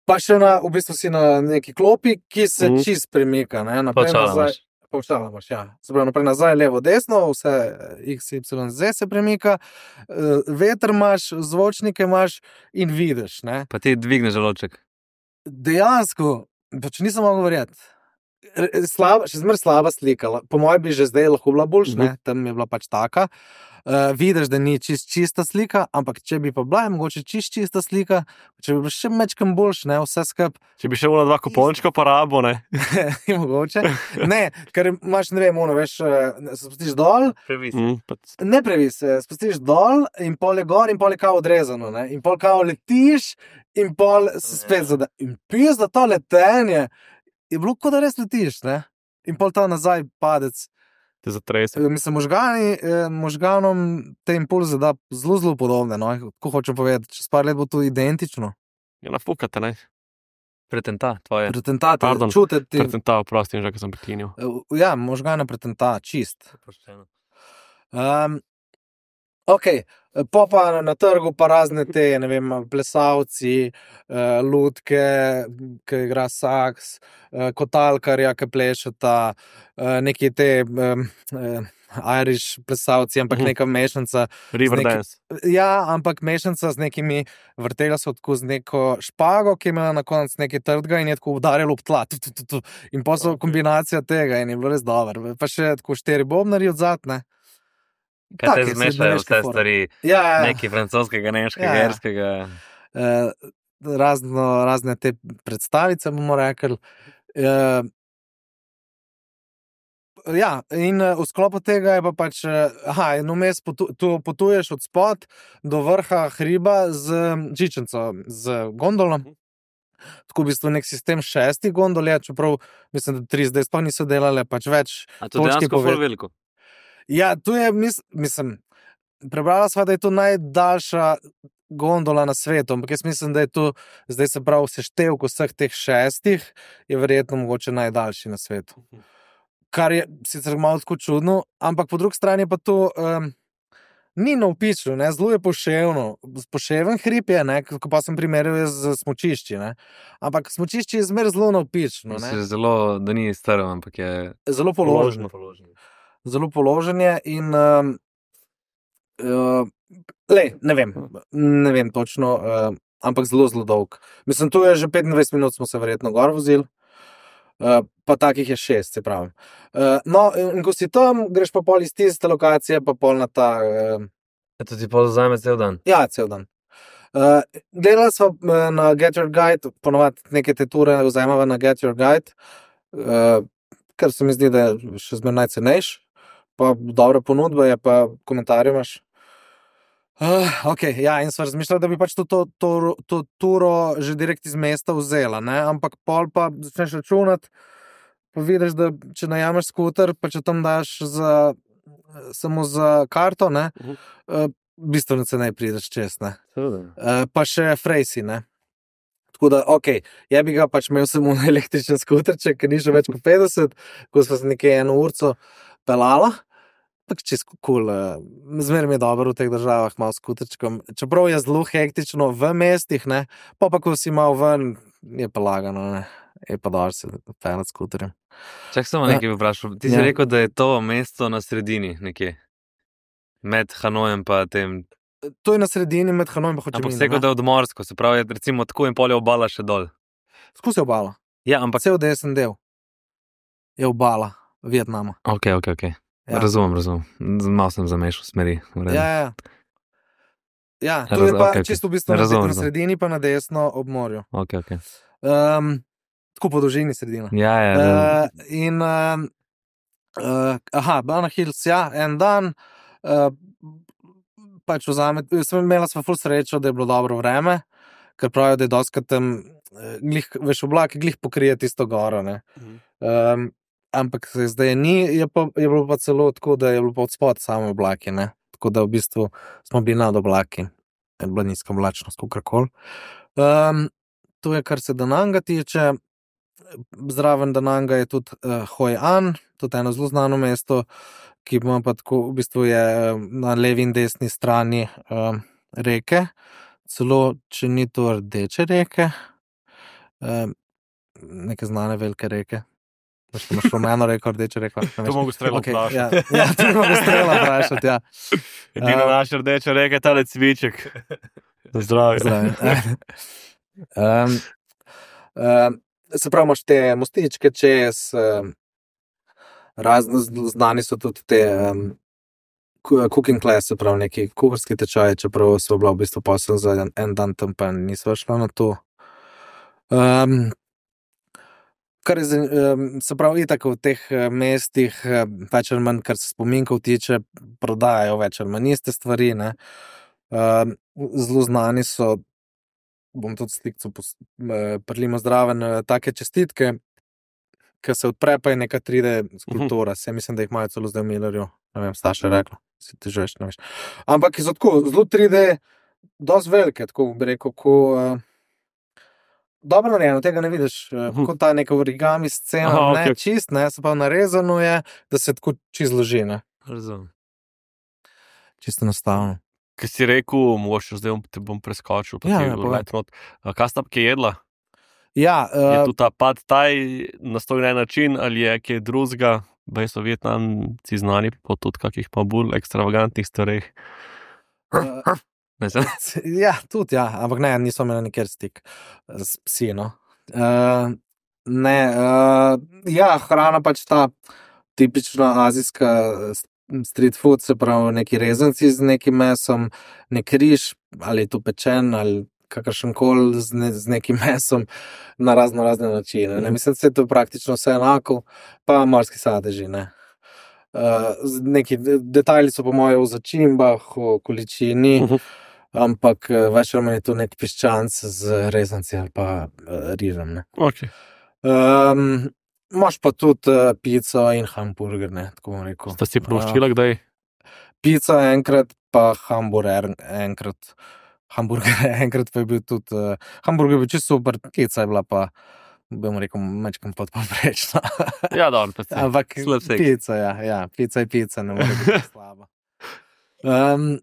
S4: Pa še na, v bistvu si na neki klopi, ki se
S2: Mhm.
S4: mm. čist premika, ne, naprej
S1: Počala
S4: nazaj.
S1: imaš.
S4: Počala imaš, ja. Se pravi, naprej nazaj, levo, desno, vse X, Y, Z se premika, eh, veter imaš, zvočnike imaš in vidiš, ne.
S1: Pa ti dvigneš žaloček.
S4: Dejansko, pač nisem mogel verjeti. R- Slaba, še zmer slaba slika. Po mojem bi že zdaj lahko bila boljša, ne, tam je bila pač taka. Uh, vidiš, da ni čist čista slika, ampak če bi pa bila, je mogoče čist čista slika, če bi bilo še mečkam boljš, ne, vse skup,
S2: Če bi še ona dva kupončka porabo, ne?
S4: je mogoče. Ne, ker imaš, ne vem, ono, veš, eh, se spustiš dol,
S1: Previs.
S2: Mm, pa,
S4: ne previs, se spustiš dol in pol je gor in pol je kao odrezano, ne, in pol kao letiš in pol se spet zada. In pis, da to letenje je bilo, kot da res letiš, ne, in pol ta nazaj padec.
S2: te zatrese.
S4: Mislim, možgani, eh, možganom te impulze da zelo, zelo podobne, no, kako hočem povedati, čez par let bo to identično.
S2: Ja, nafukate, ne?
S1: Pretenta, tvoje.
S4: Pretentate,
S2: Pardon,
S4: čutiti,
S2: Pretenta, oprostim, že, ko sem prekinil.
S4: eh, ja, možgane pretenta, čist.
S1: Pošteno.
S4: Um, ok, po pa na, na trgu pa razne te, ne vem, plesalci, uh, lutke, ki igra saks, uh, kotalkarja, ki plešeta, uh, neki te um, uh, Irish plesalci, ampak
S2: Mhm.
S4: neka mešanica.
S2: Riverdance.
S4: Ja, ampak mešanica z nekimi, vrtela so tako z neko špago, ki je imela na koncu nekaj trdega in je tako udarjalo ob tla. Tu, tu, tu, tu. In pa so
S2: Ok.
S4: kombinacija tega in je bilo res dobro. Pa še tako štiri bobnari odzad, ne.
S1: Kaj te
S4: Take
S1: zmešajo
S4: srednjeveške
S1: vse
S4: fore.
S1: stvari,
S4: Ja, ja.
S1: nekaj francoskega, nemškega,
S4: Ja, ja.
S1: irskega.
S4: Eh, razno, razne te predstavice, bomo rekli. Eh, ja, in eh, v sklopu tega je pa pač, eh, aha, in vmes potu, tu potuješ od spod do vrha hriba z žičnico, z gondolo. Tako v bistvu nek sistem šestih gondol je, čeprav mislim, da tri zdaj sploh niso delale, pač več.
S1: A to
S4: Točki
S1: dejansko
S4: pove-
S1: ful veliko.
S4: Ja, tu je, mis, mislim, prebrala sva, da je to najdaljša gondola na svetu, ampak jaz mislim, da je to zdaj se pravi seštevek vseh teh šestih, je verjetno mogoče najdaljši na svetu. Kar je sicer malo tako čudno, ampak po drugi strani pa to um, ni navpično, ne, zelo je poševno. Poševen hrib je, ne, ko pa sem primerjal jaz z smučišči, ne. Ampak smučišče je zmer zelo navpično, ne.
S1: Mislim, zelo, da ni strm, ampak je
S4: Zelo položeno.
S1: položen.
S4: Zelo položen je in um, uh, lej, ne vem, ne vem točno, uh, ampak zelo, zelo dolg. Mislim, tu je že petindvajset minut, smo se verjetno gor vozili, uh, pa takih je šest, se pravi. Uh, no, in ko si tam, greš pa pol iz tiste lokacije, pa pol na ta, uh,
S1: To ti pa vzame cel dan.
S4: ja, cel dan. Uh, gledali smo uh, na Get Your Guide, ponovadi neke te ture vzamemo na Get Your Guide, uh, ker se mi zdi, da je še zmeraj najcenejš, pa dobra ponudba je, pa komentarje imaš. Uh, ok, ja, in sva razmišljala, da bi pač to, to, to, to turo že direkt iz mesta vzela, ne? Ampak pol pa začneš računati, pa vidiš, da če najameš skuter, pa če tam daš za, samo za karto, ne,
S2: Mhm.
S4: uh, bistveno cenej prideš čez, ne.
S1: Seveda.
S4: Uh, pa še frejsi, ne. Tako da, ok, ja bi ga pač imel samo električen skuterček, ker ni že več kot petdeset, ko sva se nekje eno urco pelala. tako čisto kul, cool, zmeraj mi je dobro v teh državah, malo skuterčkom. Čeprav je zelo hektično v mestih, ne, pa pa ko si malo ven, je pa lagano, ne, je pa dobro se pelati skuterjem.
S1: Čak samo nekaj bi vprašal. Ti si
S4: Ja.
S1: rekel, da je to mesto na sredini nekje. Med Hanojem pa tem.
S4: To je na sredini med Hanojem in
S1: Ampak
S4: Hočiminom.
S1: se rekel, da je odmorsko, se pravi, je recimo tako in pol je obala še dol.
S4: Skozi obala.
S1: Ja, ampak.
S4: Cel desen del je obala Vietnama.
S1: Ok, ok, ok.
S4: Ja.
S1: Razumem, razumem. Malo sem zamešal smeri. v redu.
S4: Ja, ja. Ja, to
S1: Raz-
S4: je pa
S1: okej, okej.
S4: čisto v bistvu na,
S1: Razumem,
S4: na
S1: razumem.
S4: sredini, pa na desno ob morju.
S1: Ok, ok.
S4: Um, tako po dolžini sredina.
S1: Ja, ja.
S4: Uh, in, um, uh, aha, Banana Hills, ja, en dan, uh, pač vzame, sem imela sva ful srečo, da je bilo dobro vreme, ker pravijo, da je doskrat tam, uh, glih, veš, oblaki glih pokrije tisto goro, ne. Um, ampak se zdaj ni, je, pa, je bilo pa celo tako, da je bilo pa od spod same oblaki, ne. Tako da v bistvu smo bili nad oblaki, je bila nizka oblačnost, kakorkoli. Um, to je, kar se Dananga tiče. Zraven Dananga je tudi uh, Hoi An, tudi eno zelo znano mesto, ki ima pa tako, v bistvu je uh, na levi in desni strani uh, reke, celo če ni to rdeče reke, uh, neke znane velike reke. Veš, ko imaš rumeno reko, rdečo reko. ne
S2: To
S4: veš.
S2: mogo strelo
S4: Okej,
S2: vprašati.
S4: ja, ja, to mogo strela vprašati, ja.
S2: Edina
S4: Uh,
S2: naša rdeča reka je tale cviček. Zdravje.
S4: Zdaj. um, um, se pravi, imaš te mostičke čez, um, razno z- znani so tudi te um, ku- cooking class, se pravi, neki kuharski tečaji, čeprav so bila v bistvu posel za en, en dan tam, pa nisva šla na to. Um, kar je, zan- um, se pravi, itak v teh eh, mestih, eh, več ali manj, kar se spominkov tiče, prodajajo več ali manj iste stvari, ne. Um, zelo znani so, bom tudi slikco prlimo zraven, eh, take čestitke, ki se odpre, pa je neka tri D skulptura. Se mislim, da jih imajo celo zdaj v Millerju. Ne vem, Staša je rekla, si ti že več ne veš. Ampak so tako, zelo tri D, dosti velike, tako bi rekel, ko uh, dobro narejeno, tega ne vidiš, uh,
S2: Mhm.
S4: kot ta neka origami scena,
S2: Aha,
S4: ne
S2: okej.
S4: čist, ne, se pa narezano je, da se tako čist zloži, ne,
S1: Razumem.
S4: čisto enostavno.
S2: Kaj si rekel, mogoče zdaj bom- te bom preskočil, pa
S4: Ja,
S2: ti
S4: ja, povej.
S2: let not. A Kaj sta kje jedla?
S4: Ja,
S2: Je
S4: uh,
S2: tu ta pad taj nastojen na en način ali je kaj drugega? Bej so Vietnamci znani po tudi kakih pa bolj ekstravagantnih stvareh.
S4: uh,
S1: Ne, sem-
S4: Ja, tudi, ja, ampak ne, nismo imeli nikjer stik s psi. No. Uh, ne, uh, ja, hrana pač ta tipična azijska s- street food, se pravi, neki rezanci z nekim mesom, nek riž, ali je to pečen, ali kakršen koli z, ne, z nekim mesom, na razno razne načine. Ne. Mislim, da je to praktično vse enako, pa morski sadeži. Ne. Uh, z- neki de- detajli so po mojem v začimbah, v količini.
S2: Mhm.
S4: Ampak eh, več ali manj je to nek piščanc z rezanci ali pa uh, rižem. Ne.
S2: Okay.
S4: Um, Imaš pa tudi uh, pico in hamburger, ne, tako bom rekel.
S2: Sta si proščila kdaj?
S4: Uh, pica enkrat, pa hamburger enkrat. Hamburger enkrat pa je bil tudi, uh, hamburger je bil čisto super, pica je bila pa, bom rekel, mečkam podpoprečna.
S2: Ja, dobro, predvsem.
S4: Ampak
S1: slab seks.
S4: pica, ja, ja, pica je pica, ne more biti slaba. Um,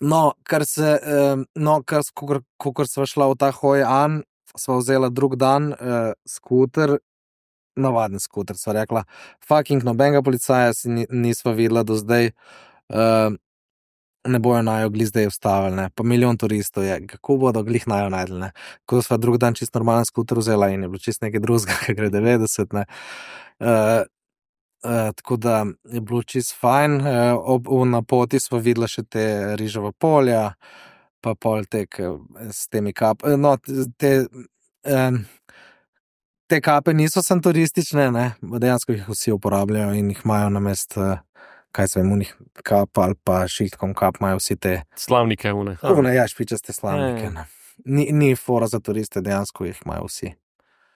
S4: no, kar se, um, no, kar, kakor, kakor sva šla v ta Hoi An, sva vzela drug dan uh, skuter, navaden skuter, sva rekla, fucking nobenega policaja si ni, nisva videla do zdaj, uh, ne bojo najo glih zdaj ustavili, ne, pa milijon turistov je, kako bodo glih najo najdli, ne, ko sva drug dan čist normalen skuter vzela in je bilo čist nekaj drugega, ki gre devetdeset, ne, uh, Uh, tako da je bilo čist fajn. Uh, ob, na poti smo videli še te riževa polja, pa pol tek uh, s temi kape. No, te, um, te kape niso samo turistične, ne? Dejansko jih vsi uporabljajo in jih imajo na mest, uh, kaj se vem, unih kap ali pa šiltkom kap, imajo vsi te.
S2: Slavnike une.
S4: Une, ja, špičaste slavnike.
S1: Ja, ja.
S4: Ne? Ni, ni fora za turiste, dejansko jih imajo vsi.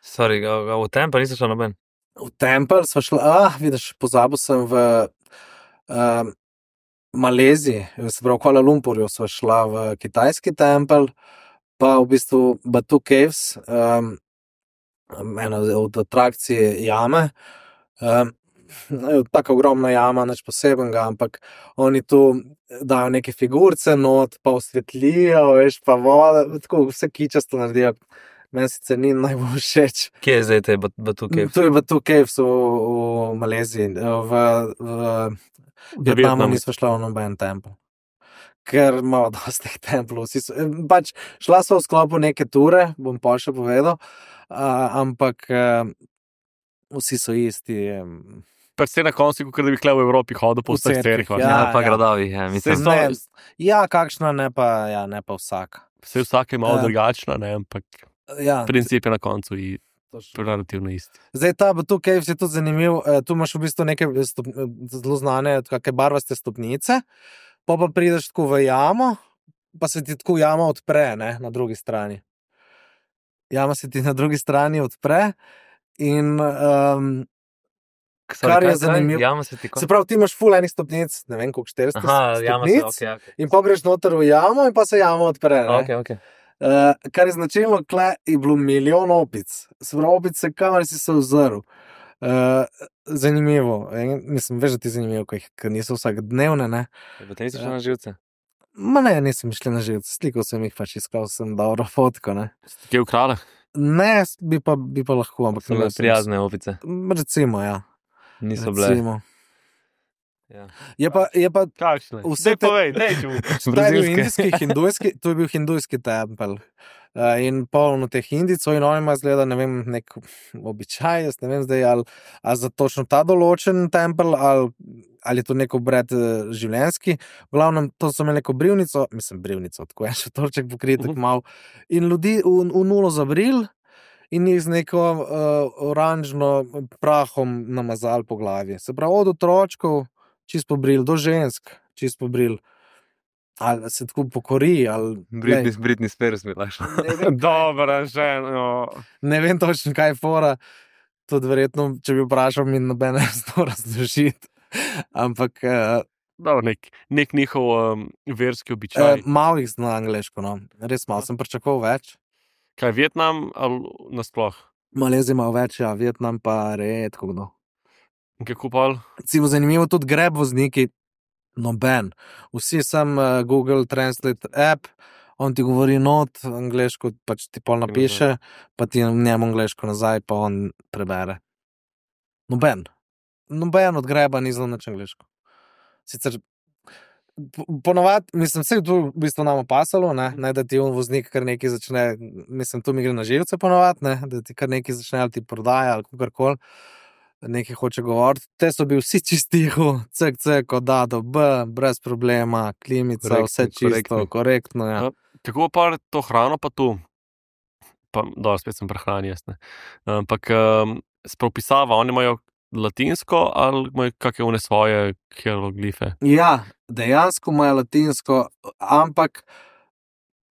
S1: Sorry, a, a v tem pa nisi šel noben.
S4: V tempelj smo šli, ah, vidiš, pozabil sem v um, Maleziji, se pravi, v Kuala Lumpurju smo šla v kitajski tempelj, pa v bistvu Batu Caves, um, ena od atrakcij jame. Um, tako ogromna jama, nič posebenega, ampak oni tu dajo neke figurce not, pa osvetlijo, veš, pa voda, tako vse kičasto naredijo. Meni sicer ni najbolj všeč.
S1: Kje je zdaj te Batu Caves?
S4: Tu je Batu Caves v, v Maleziji, v, v Vietnamu nismo šla v noben tempel. Ker imamo dosti teh templov. Vsi so, pač šla so v sklopu neke ture, bom pa še povedal, uh, ampak uh, vsi so isti. Um,
S2: Pa se na koncu, kot da bi kle v Evropi hodil po vseh cerkvah.
S4: Ja,
S1: Ja, pa
S4: ja.
S1: gradavi, ja, mislim.
S2: Saj
S4: ne, ja, kakšna, ne pa, ja, ne pa vsaka.
S2: Vse vsake je malo
S4: Ja.
S2: drugačna, ne, ampak
S4: Ja,
S2: princip je na koncu i
S4: točno.
S2: relativno isti.
S4: Zdaj ta Batu Caves je tudi zanimiv, eh, tu imaš v bistvu neke stop, zelo znane, kakšne barvaste stopnice, pa pa prideš tako v jamo, pa se ti tako jama odpre, ne, na drugi strani. Jama se ti na drugi strani odpre in um, kar je zanimivo-
S1: Jama se ti
S4: se pravi, ti imaš ful enih stopnic, ne vem koliko, štiristo
S1: Aha, jama se,
S4: stopnic,
S1: ok, ok.
S4: in pa greš noter v jamo in pa se jama odpre, ne.
S1: Ok, ok.
S4: Uh, kar je značilno, kle je bilo milijon opic. Se pravi, opice, kamor si se ozrl. Uh, zanimivo. In, mislim, veš, da ti je zanimivo, ko jih ker niso vsakodnevne, ne.
S1: Potem si šel na živce.
S4: Ma ne, nisem šel na živce, slikal sem jih, pač iskal sem dobro fotko, ne.
S2: Kje v kraljah?
S4: Ne, bi pa, bi pa lahko, ampak
S1: So bile
S4: nisem.
S1: prijazne opice.
S4: Recimo, ja.
S1: Niso bile.
S4: Recimo.
S1: Ja.
S4: Je pa, je pa
S2: Kakšne?
S4: Vse
S2: Vse
S4: te-
S2: povej, dej ti mu.
S4: Ta je bil
S1: Brazilske.
S4: indijski, hindujski, to je bil hindujski tempelj. Uh, in polno teh Indijcev, in oni imajo zgleda, ne vem, nek običaj, jaz ne vem zdaj, ali, ali za točno ta določen tempelj, ali, ali je to nek obred uh, življenjski. V glavnem, to so imeli neko brivnico, mislim, brivnico, tako je še torček pokrit, tako
S2: Mhm.
S4: mal. In ljudi v, v nulo zabril in jih z neko uh, oranžno prahom namazali po glavi. Se pravi, od otročkov, čist pobril, do žensk, čist pobril. Ali se tako pokori, ali
S1: Britney, Britney Spears bi lahko.
S4: ne vem,
S2: Dobro, že, no.
S4: ne vem točno, kaj je fora. Tudi verjetno, če bi vprašal, mi noben ne bi to razložiti. Ampak uh,
S2: Dobro, nek, nek njihov um, verski običaj.
S4: uh, malo jih zna angleško, no. Res malo, sem pričakoval več.
S2: Kaj, Vietnam ali nasploh?
S4: Malezija ima več, ja, Vietnam pa redko kdo.
S2: In kako pa?
S4: Recimo zanimivo, tudi greb vozniki, noben. Vsi sem uh, Google Translate app, on ti govori not, angleško pač ti pol napiše, pa ti njemu angleško nazaj, pa on prebere. Noben. Noben od greba ni zelo nič angleško. Sicer po- ponovadi, mislim, vse tu v bistvu nam pasalo, ne, ne, da ti on voznik kar nekaj začne, mislim, tu mi gre na živce ponovadi, ne, da ti kar nekaj začne ali ti prodaja ali kakorkoli, nekaj hoče govoriti. Te so bili vsi čistiho, cek, cek, od A do B, brez problema, klimica,
S1: Korektni,
S4: vse čisto,
S1: korektni.
S4: korektno, ja.
S2: Ja. Kako pa to hrano pa tu? Pa, dobro, spet sem prehrani, jaz ne. Ampak um, spropisava, oni imajo latinsko ali imajo kakšne one svoje hieroglife?
S4: Ja, dejansko imajo latinsko, ampak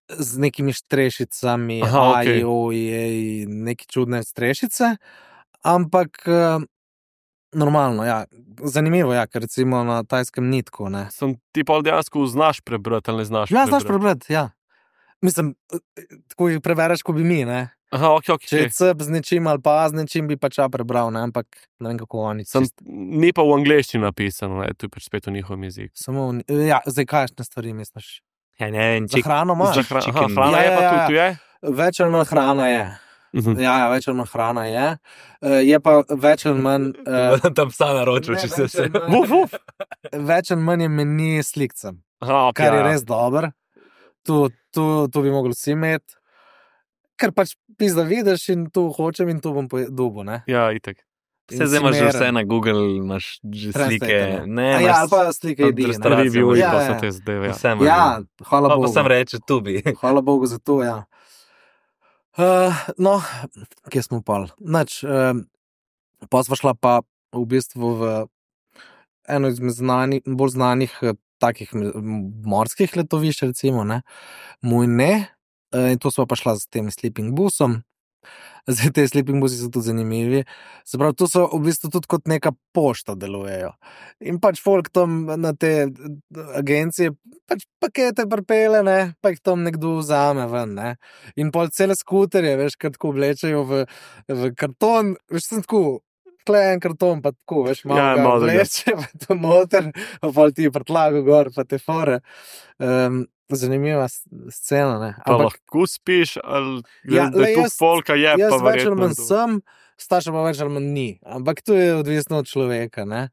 S4: z nekimi štrešicami,
S2: Aha,
S4: A,
S2: okej.
S4: I, O, I, E, neke čudne strešice, ampak eh, normalno, ja. Zanimivo, ja, ker recimo na tajskem ni tako, ne.
S2: Sem ti pa dejansko znaš prebrati ali ne znaš
S4: Ja, znaš
S2: prebrati?
S4: prebrati, ja. Mislim, eh, tako jih prebereš, ko bi mi, ne.
S2: Aha, ok, ok.
S4: Če je C z nečim ali pa A z nečim, bi pač A prebral, ne, ampak ne vem, kako oni.
S2: Sem,
S4: čist-
S2: ni pa v angleščini napisano, ne, tu je pač spet v njihovem jeziku.
S4: Samo, v- ja, zdaj kakšne stvari misliš?
S1: Ja, ne vem,
S4: Za hrano imaš?
S2: Za hra, aha,
S1: chicken.
S2: hrana
S4: Ja,
S2: je pa
S4: ja,
S2: tu,
S4: ja.
S2: tu je?
S4: Več ali manj hrana je.
S2: Mhm.
S4: Ja, ja, več ali manj hrana je. Uh, je pa več ali manj, uh,
S1: Tam psa naročil,
S4: Ne,
S1: če se
S4: več
S1: vse.
S4: ali manj-
S2: Vuf, vuf.
S4: več ali manj je meni slikcem,
S2: Aha, ok,
S4: kar je
S2: ja, ja.
S4: res dober. Tu, tu, tu bi mogli vsi imeti. Ker pač pizda vidiš in tu hočem in tu bom dobil, ne.
S2: Ja, itek.
S4: In
S1: Vse zdaj imaš že
S4: si
S1: vse
S4: meren.
S1: na Google, imaš že
S4: Translate,
S1: slike.
S4: ne.
S1: Ne,
S4: A ja, ali pa slike
S1: od
S4: jedi. ne.
S1: restavracije
S2: Review
S1: Ja,
S2: pa
S4: ja.
S2: so te zadeve. Ja.
S1: Vse imaš.
S4: Ja, hvala
S1: Pa, pa
S4: Bogu.
S1: sem reče, tu bi.
S4: Hvala Bogu za to, ja. Uh, no, kje smo pol? Nač, uh, pa sva šla pa v bistvu v eno izmed znani, bolj znanih eh, takih m- morskih letovišč, recimo, ne, Mujne, uh, in to sva pa šla s tem sleeping busom. Zdaj, te sleeping busi so tudi zanimivi. Se pravi, tu so v bistvu tudi kot neka pošta delujejo. In pač folk tam na te agencije pač pakete pripele, ne, pa jih tam nekdo vzame ven, ne. In pol cele skuterje, veš, kar tako oblečejo v, v karton, veš, sem tako, kle en karton, pa tako, veš, malo
S2: Ja,
S4: ja,
S2: malo da ga.
S4: vleče, pa to noter, pa pol ti prtlago gor, pa te fore. Um, zanimiva s- scena, ne.
S2: Pa
S4: Ampak
S2: lahko spiš, ali
S4: Ja,
S2: da
S4: le
S2: je tu
S4: jaz-
S2: folka je,
S4: jaz
S2: pa
S4: več ali
S2: verjetno.
S4: manj sem, Staša pa več ali manj ni. Ampak to je odvisno od človeka, ne.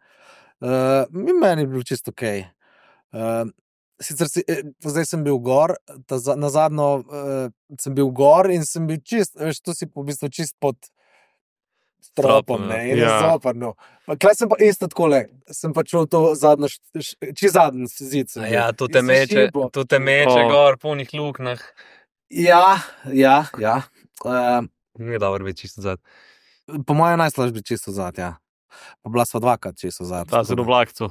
S4: Uh, meni je bilo čisto okej. Uh, sicer si, eh, zdaj sem bil gor, ta, za- na zadnjo uh, sem bil gor in sem bil čist, veš, tu si v bistvu čist pod stropom,
S1: Stropom,
S4: ne,
S1: ja.
S4: in je
S2: Ja.
S4: zoprno. Klej sem pa isto takole, sem pa čul to zadnjo, š- š- čist zadnji zid. sem
S1: A
S4: bil.
S1: ja, tu
S4: In
S1: te
S4: se
S1: meče,
S4: šibo.
S1: tu te meče
S2: O.
S1: gor, polnih luknah.
S4: Ja, ja, ja. Uh,
S1: Ni dobro biti čisto zad.
S4: po mojem najslažje biti čisto zad, ja. Pa bila sva dvakrat čisto zad.
S2: Ta
S4: tako
S2: se
S4: da-
S2: do vlakcu.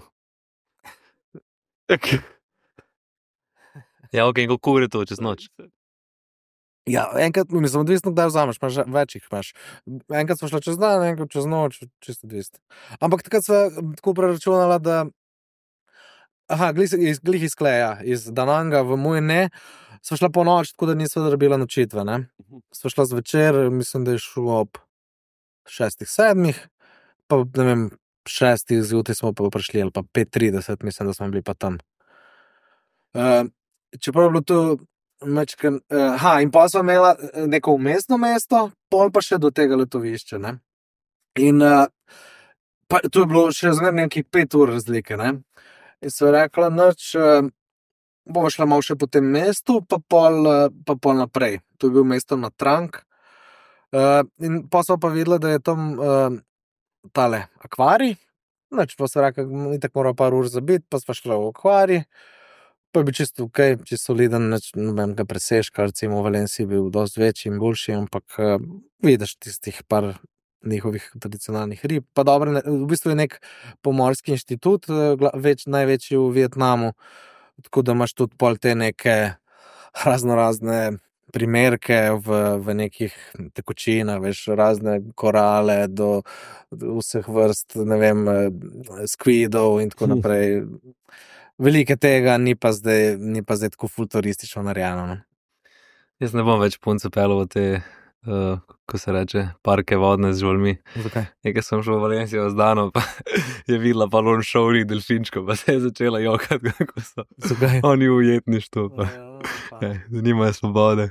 S1: Ja, ok, in kako je to čez noč?
S4: Ja, enkrat, mislim, odvisno, kdaj vzameš, imaš več jih imaš. Enkrat smo šli čez dan, enkrat čez noč, čisto odvisno. Ampak takrat sva tako preračunala, da aha, glih iz, glih iz Kleja, iz Dananga v moj ne, sva šla po noč, tako da nisva rabila nočitve, ne. Sva šla zvečer, mislim, da je šlo ob šestih, sedmih, pa ne vem, šestih zjutraj smo pa prišli, ali pa pet trideset, mislim, da smo bili pa tam. Uh, čeprav je bilo to mečken, uh, ha, in pa sva imela eh, neko umestno mesto, pol pa še do tega letovišča, ne. In uh, pa to je bilo še zmeraj nekih pet ur razlike, ne. In sva rekla, noč, uh, bomo šla malo še po tem mestu, pa pol, uh, pa pol naprej. To je bil mesto na Trank. Uh, in pa sva pa videla, da je tam uh, tale akvarij, noč pa sva rekla, itak mora par ur zabiti, pa sva šla v akvarij. Pa je bil čisto ok, čisto soliden, nič nobenega presežka, recimo v Valenciji je bil dosti večji in boljši, ampak uh, vidiš tistih par njihovih tradicionalnih rib. Pa dobro, ne, v bistvu je nek pomorski inštitut, eh, gla- več, največji v Vietnamu, tako da imaš tudi pol te neke raznorazne primerke v, v nekih tekočinah, veš, razne korale do, do vseh vrst, ne vem, eh, skvidov in tako naprej. Veliko tega, ni pa zdaj, ni pa zdaj tako futuristično narejeno. No.
S1: Jaz ne bom več punce pelil v te, uh, ko se reče, parke vodne z žolmi.
S4: Zakaj?
S1: Nekaj sem šel v Valencijo z Dano, pa je videla palon šovnih delfinčkov, pa se je začela jokati, kako so
S4: Zakaj?
S1: oni v ujetništvu, pa ja, nimajo svobode.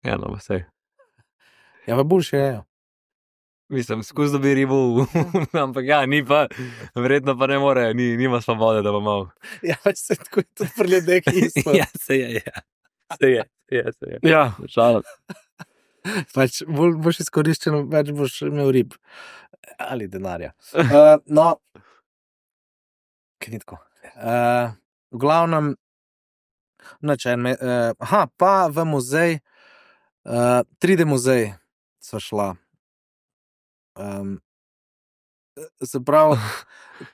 S1: Ja, no, pa sej.
S4: Ja, pa boljše je.
S1: Mislim, skozi dobi ribo, v- ampak ja, ni pa, verjetno pa ne more, ni, nima svobode, da bo mal.
S4: Ja, pač se tako je tudi pri ljudeh isto.
S1: Ja, se je, ja. Se je, se je, se je.
S2: Ja,
S1: Šalo.
S4: Pač bolj boš izkoriščen, več boš imel rib. Ali denarja. Uh, no, kaj ni tako. Uh, v glavnem, noč en, me- uh, aha, pa v muzej, uh, tri D muzej sva šla. Um, se pravi,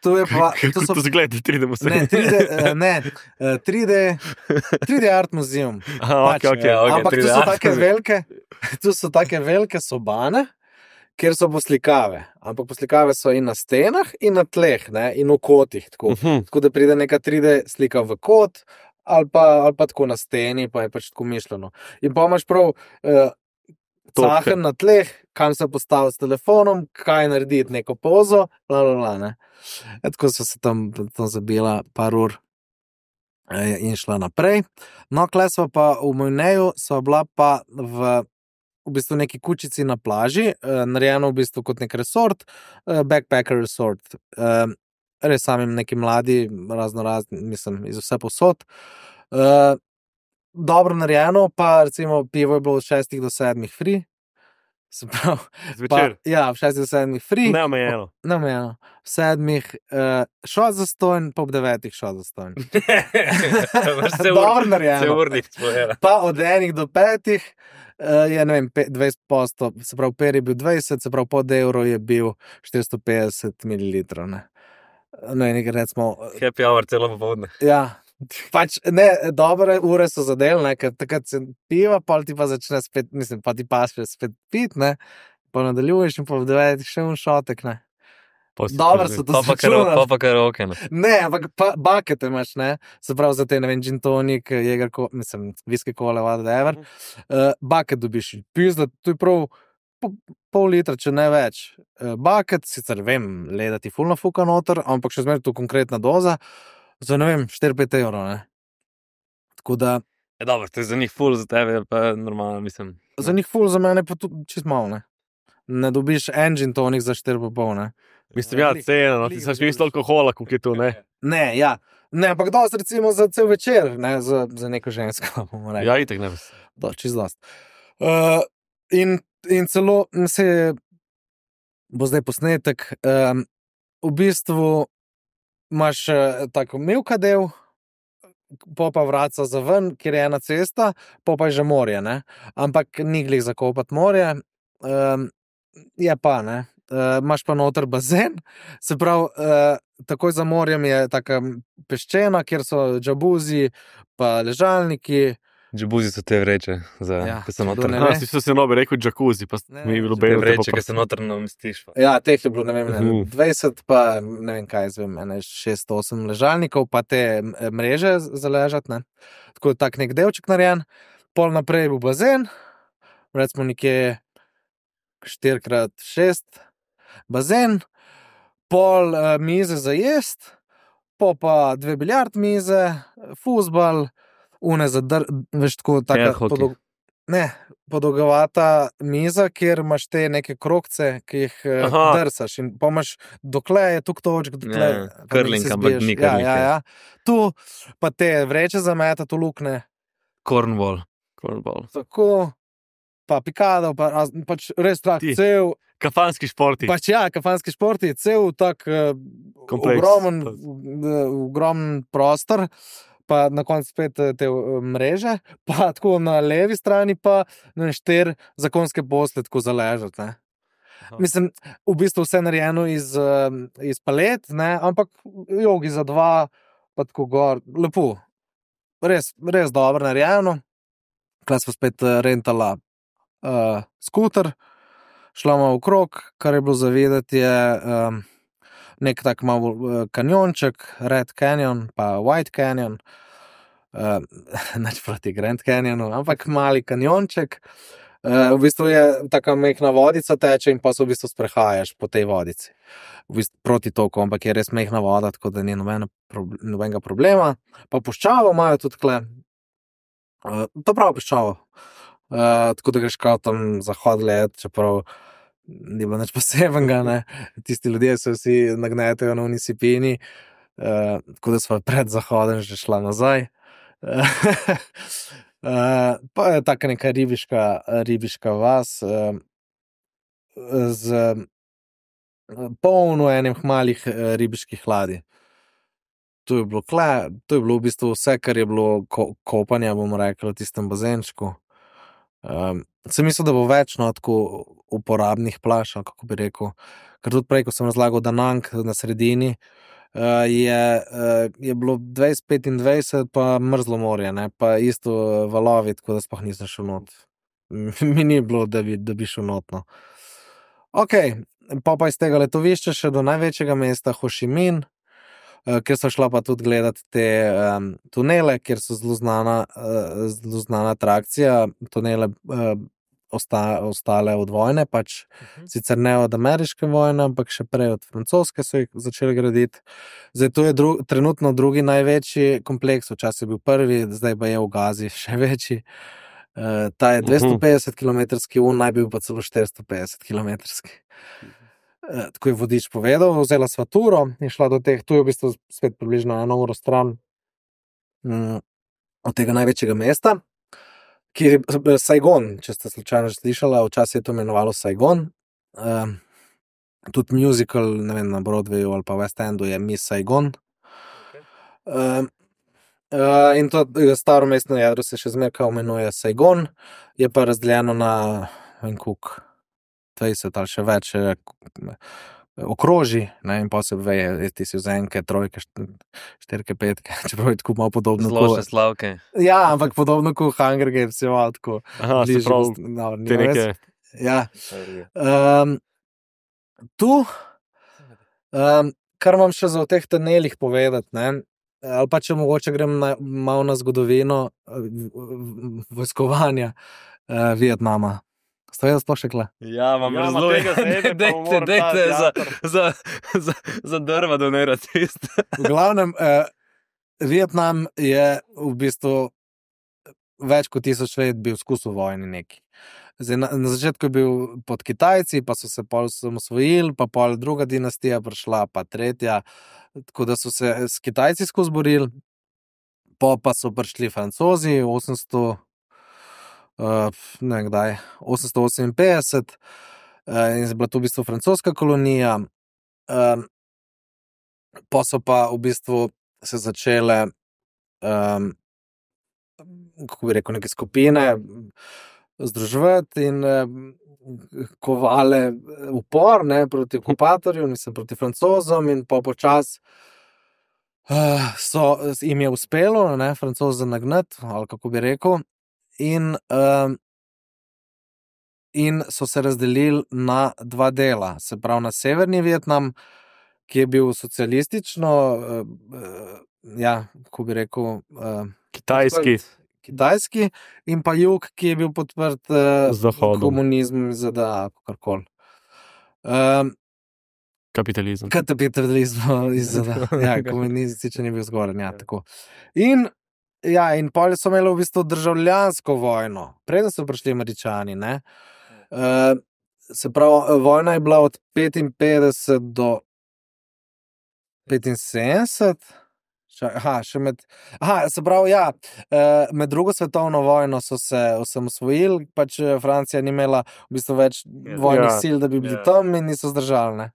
S4: to je pa, to
S2: kako
S4: so
S2: to zgleda, tri D se.
S4: ne, tri D, eh, ne, eh, tri D, tri D art muzeum.
S2: Aha,
S4: Pač,
S2: ok, ok.
S1: ja, ok.
S4: Ampak
S1: tri D
S4: tu so
S1: art
S4: take
S1: muzeum.
S4: velike, tu so take velike sobane, kjer so poslikave. Ampak poslikave so in na stenah, in na tleh, ne, in v kotih. Tako,
S2: Mhm.
S4: tako da pride neka tri D slika v kot, ali pa, ali pa tako na steni, pa je pač tako mišljeno. In pa imaš prav uh,
S2: Topke.
S4: cahen na tleh, kam se postavi s telefonom, kaj narediti, neko pozo, bla, bla, bla, ne. E, tako so se tam, tam zabila par ur eh, in šla naprej. No, kle sva pa v Mojneju, sva bila pa v, v bistvu neki kučici na plaži, eh, narejeno v bistvu kot nek resort, eh, backpacker resort. Eh, res samim neki mladi, razno razni, mislim, iz vse posod. Eh, dobro narejeno, pa recimo pivo je bilo od šestih do sedmih free. Se pravi, pa,
S2: Zvečer.
S4: ja, v šestih do sedmih free.
S2: Neomejeno.
S4: Neomejeno. V sedmih uh, šel za stojn, pa ob devetih šel za stojn.
S1: Se
S4: Dobro
S1: Se
S4: narejeno.
S1: urnik spojela.
S4: Pa od enih do petih uh, je, ne vem, pe- dvajset posto, se pravi, per je bil dvajset, se pravi, pod evro je bil štiristo petdeset mililitrov. Ne, no, in nekaj recimo,
S1: Happy hour celo popoldne.
S4: ja. Pač ne, dobre ure so zadelne, ker takrat se piva, pol ti pa začne spet, mislim, pa ti pa še spet pit, ne, pa nadaljuješ in pa v devetih še un šotek, ne. Dobro so to
S1: Pa pa karo,
S4: začunali.
S1: pa pa karaoke, no.
S4: Ne, ampak pa, bakete imaš, ne, se pravi za te, ne vem, gin tonik, jeger, ko, mislim, viski kole, whatever, uh, baket dobiš, pizda, to je prav po, pol litra, če ne več. Bucket, sicer vem, leda ti fulno fuka noter, ampak še zmeraj tu konkretna doza, za ne vem, štiri pet evrov, ne. Tako da,
S1: Je dobro, to je za njih ful, za tebe pa normalno, mislim.
S4: za njih ful, za mene pa tudi čist malo, ne. Ne dobiš engine tonik za štiri pa pol, ne.
S2: Mislim, ja, cena, no, ti si mislil alkohola, koliko je tu, ne?
S4: Ne, ja. Ne, ampak dosti recimo za cel večer, ne, za, za neko žensko, bomo rekli.
S2: Ja, itek ne.
S4: Do, čist dosti. Uh, in, in celo se bo zdaj posnetek, um, v bistvu imaš uh, tako milka del, po pa vraca za ven, kjer je ena cesta, po pa je že morje, ne. Ampak ni glih zakopati morje, um, je pa, ne. Uh, imaš pa noter bazen, se pravi, uh, takoj za morjem je taka peščena, kjer so džabuzi, pa ležalniki.
S1: Džabuzi so te vreče, za,
S4: Ja,
S1: ki so
S4: kdo
S1: noter.
S4: ne
S2: Ja,
S4: ve.
S2: si se nobe rekel džakuzi, pa
S4: Ne,
S2: mi je bilo
S4: ne,
S1: Te
S2: belo.
S1: vreče, ki se noter namestiš. pa.
S4: Ja, teh je bilo, ne vem, ne,
S2: Mhm.
S4: dvajset, pa ne vem kaj, zvem, ene šest osem ležalnikov, pa te m, mreže za ležat, ne. Tako je tak nek delček narejen, pol naprej bo bazen, recimo nekje štiri krat šest bazen, pol uh, mize za jest, po pa dve biljard mize, fuzbal, une za dr... veš, tako taka
S1: Air hockey.
S4: podol... ne, podolgovata miza, kjer imaš te neke krogce, ki jih uh,
S2: Aha.
S4: drsaš in pa imaš dokle je tuk točk, dokle
S1: Ja,
S4: pa
S1: curling,
S4: se
S1: ampak
S4: zbiješ.
S1: ni
S4: Ja,
S1: curling,
S4: ja,
S1: ja.
S4: ja. Tu pa te vreče za meta, tu lukne,
S1: Cornwall.
S2: Cornball.
S4: tako, pa pikado, pa raz, pač res tak
S2: Ti.
S4: cel,
S2: Kafanski športi.
S4: pač ja, kafanski šport je cel tak uh,
S2: Kompleks.
S4: ogromen, uh, ogromen prostor, pa na koncu spet eh, te uh, mreže, pa tako na levi strani pa ne, štiri zakonske posle tako za ležati, ne.
S2: Aha.
S4: Mislim, v bistvu vse narejeno iz, uh, iz palet, ne, ampak jogi za dva, pa tako gor, lepo. Res, res dobro narejeno. Klas pa spet eh, rentala uh, skuter, šla malo okrog, kar je bilo zavedati, je um, nek tak malo uh, kanjonček, Red Canyon, pa White Canyon, uh, nič proti Grand Canyonu, ampak mali kanjonček. Uh, v bistvu je taka mehna vodica teče in pa se v bistvu sprehajaš po tej vodici. V bistvu proti toku, ampak je res mehna voda, tako da ni nobena, prob- nobenega problema. Pa puščavo imajo tudi tle. Uh, to prav puščavo. Uh, tako da greš kao tam zahod gled, čeprav ni bilo nič posebenega, ne. Tisti ljudje se vsi nagnetajo na unisipini, uh, tako da sva pred zahodem že šla nazaj. Uh, pa je taka neka ribiška, ribiška vas uh, z uh, polno enih malih uh, ribiških ladij. To je bilo kle, to je bilo v bistvu vse, kar je bilo ko, kopanja, bomo rekli, v tistem bazenčku. Um, sem mislil, da bo več no, tako uporabnih plaž, ali kako bi rekel. Ker tudi prej, ko sem razlagal Danang na sredini, uh, je, uh, je bilo dvajset petindvajset, pa mrzlo morje, ne? Pa isto valovi, tako da sploh nisem šel not. Mi ni bilo, da bi, da bi šel not. No. Ok, pa pa iz tega letovišča še do največjega mesta Ho Chi Minh, uh, kjer so šla pa tudi gledati te um, tunele, kjer so zelo znana, uh, zelo znana atrakcija, tunele uh, osta, ostale od vojne, pač uh-huh. Sicer ne od ameriške vojne, ampak še prej od francoske so jih začeli graditi. Zdaj to je dru, trenutno drugi največji kompleks, včasih je bil prvi, zdaj pa je v Gazi še večji. Uh, ta je dvesto petdeset kilometrski, un naj bil pa celo štiristo petdeset kilometrski. Uh, tako je vodič povedal, vzela sva turo in šla do teh, tu je v bistvu spet približno eno uro stran um, od tega največjega mesta, ki je Saigon, če ste slučajno že slišala, včasih je to imenovalo Saigon. Uh, tudi musical, ne vem, na Broadwayu ali pa West Endu je Miss Saigon. Uh, uh, in to staro mestno jedro se še zmeraj imenuje Saigon, je pa razdeljeno na en kuk dvajset ali še več eh, okroži, ne, in pa se veje, ti si vzenke, trojke, štirke, petke, čeprav je tako malo podobno.
S1: Zložne slavke.
S4: Ja, ampak podobno kot Hunger Games je malo tako.
S2: Aha, se
S4: bližje
S2: pravi,
S4: gost- no, ni
S2: te
S4: res.
S2: neke...
S4: Ja. Um, tu, um, kar imam še za o teh tunelih povedati, ne, ali pa če mogoče grem na, malo na zgodovino uh, v- v- vojskovanja uh, Vietnama. Ste vedeli sploh še kle?
S1: Ja, imam
S2: Ja, ima
S1: razlog.
S2: tega sebe, pa mu mora
S1: Dajte,
S2: ta
S1: dajte za,
S2: teater.
S1: za, za, za drva donirati. isto.
S4: V glavnem, eh, Vietnam je v bistvu več kot tisoč let bil skus v vojni neki. Zdaj, na, na začetku je bil pod Kitajci, pa so se pol osvojili, pa pol druga dinastija prišla, pa tretja, tako da so se s Kitajci skozi borili, po pa so prišli Francozi osemsto, uh, ne vem kdaj, osemsto oseminpetdeset, uh, in je bila to v bistvu francoska kolonija. Um, pa so pa v bistvu se začele, um, kako bi rekel, neke skupine združevati in um, kovale upor, ne, proti okupatorju, mislim, proti Francozom, in pa počas uh, so, jim je uspelo, ne, Francoze nagnati, ali kako bi rekel, in, um, in so se razdelili na dva dela, se pravi na severni Vietnam, ki je bil socialistično, uh, uh, ja, kako bi rekel, uh,
S2: Kitajski.
S4: podprt kitajski, in pa jug, ki je bil podprt uh,
S2: Z Zahodom.
S4: komunizmom iz Z D A, kakorkoli. Um,
S2: Kapitalizem.
S4: kapitalizmu iz Z D A. Ja, komunističen je bil zgoraj, ja, tako. In, ja, in pol so imeli v bistvu državljansko vojno, preden so prišli Američani, ne. Uh, se pravi, vojna je bila od petinpetdeset do petinsedemdeset. Aha, še med, aha, se pravi, ja, med drugo svetovno vojno so se osamosvojili, pač Francija ni imela v bistvu več vojnih
S2: Ja.
S4: sil, da bi bili
S2: Ja.
S4: tam, in niso zdržali, ne,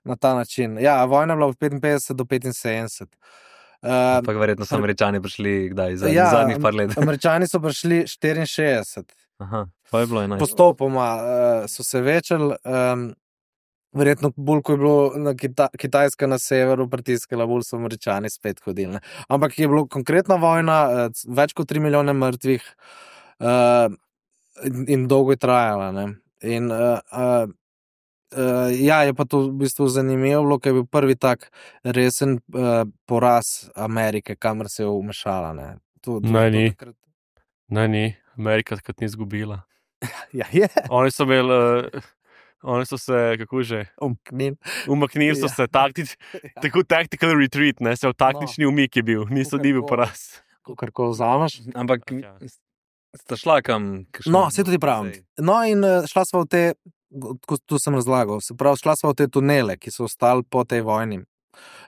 S4: na ta način. Ja, vojna je bila od petinpetdeset do petinsedemdeset. Uh,
S1: Ampak verjetno so Američani prišli kdaj, za,
S4: Ja,
S1: zadnjih par let.
S4: Američani so prišli štiriinšestdeset.
S1: Aha, pa je bilo enajst.
S4: Postopoma uh, so se večali, um, verjetno bolj, ko je bilo na Kita Kitajska na severu pritiskala, bolj so Američani spet hodili. Ne. Ampak je bilo konkretna vojna, uh, več kot tri milijone mrtvih, uh, in, in dolgo je trajala. Ne. In uh, uh, uh, ja, je pa to v bistvu zanimivo bilo, ker je bil prvi tak resen uh, poraz Amerike, kamor se je vmešala. Ne. To, to,
S2: Ne,
S4: to
S2: ni.
S4: takrat-
S2: Ne, ni. Amerika takrat ni izgubila.
S4: Ja, je.
S2: Oni so imeli, uh, oni so se, kako že,
S4: Umknil.
S2: umaknili so
S4: Ja.
S2: se taktič, tako tactical retreat, ne, se v taktični umik je bil, niso ni bil
S4: Kakorkoli.
S2: poraz.
S4: Kakorkoli vzameš.
S1: Ampak
S2: Ja.
S1: sta šla kam? kakšno-
S4: No, se tudi pravim.
S1: Sej.
S4: No, in eh, šla sva v te, kot tu sem razlagal, se pravi, šla sva v te tunele, ki so ostali po tej vojni.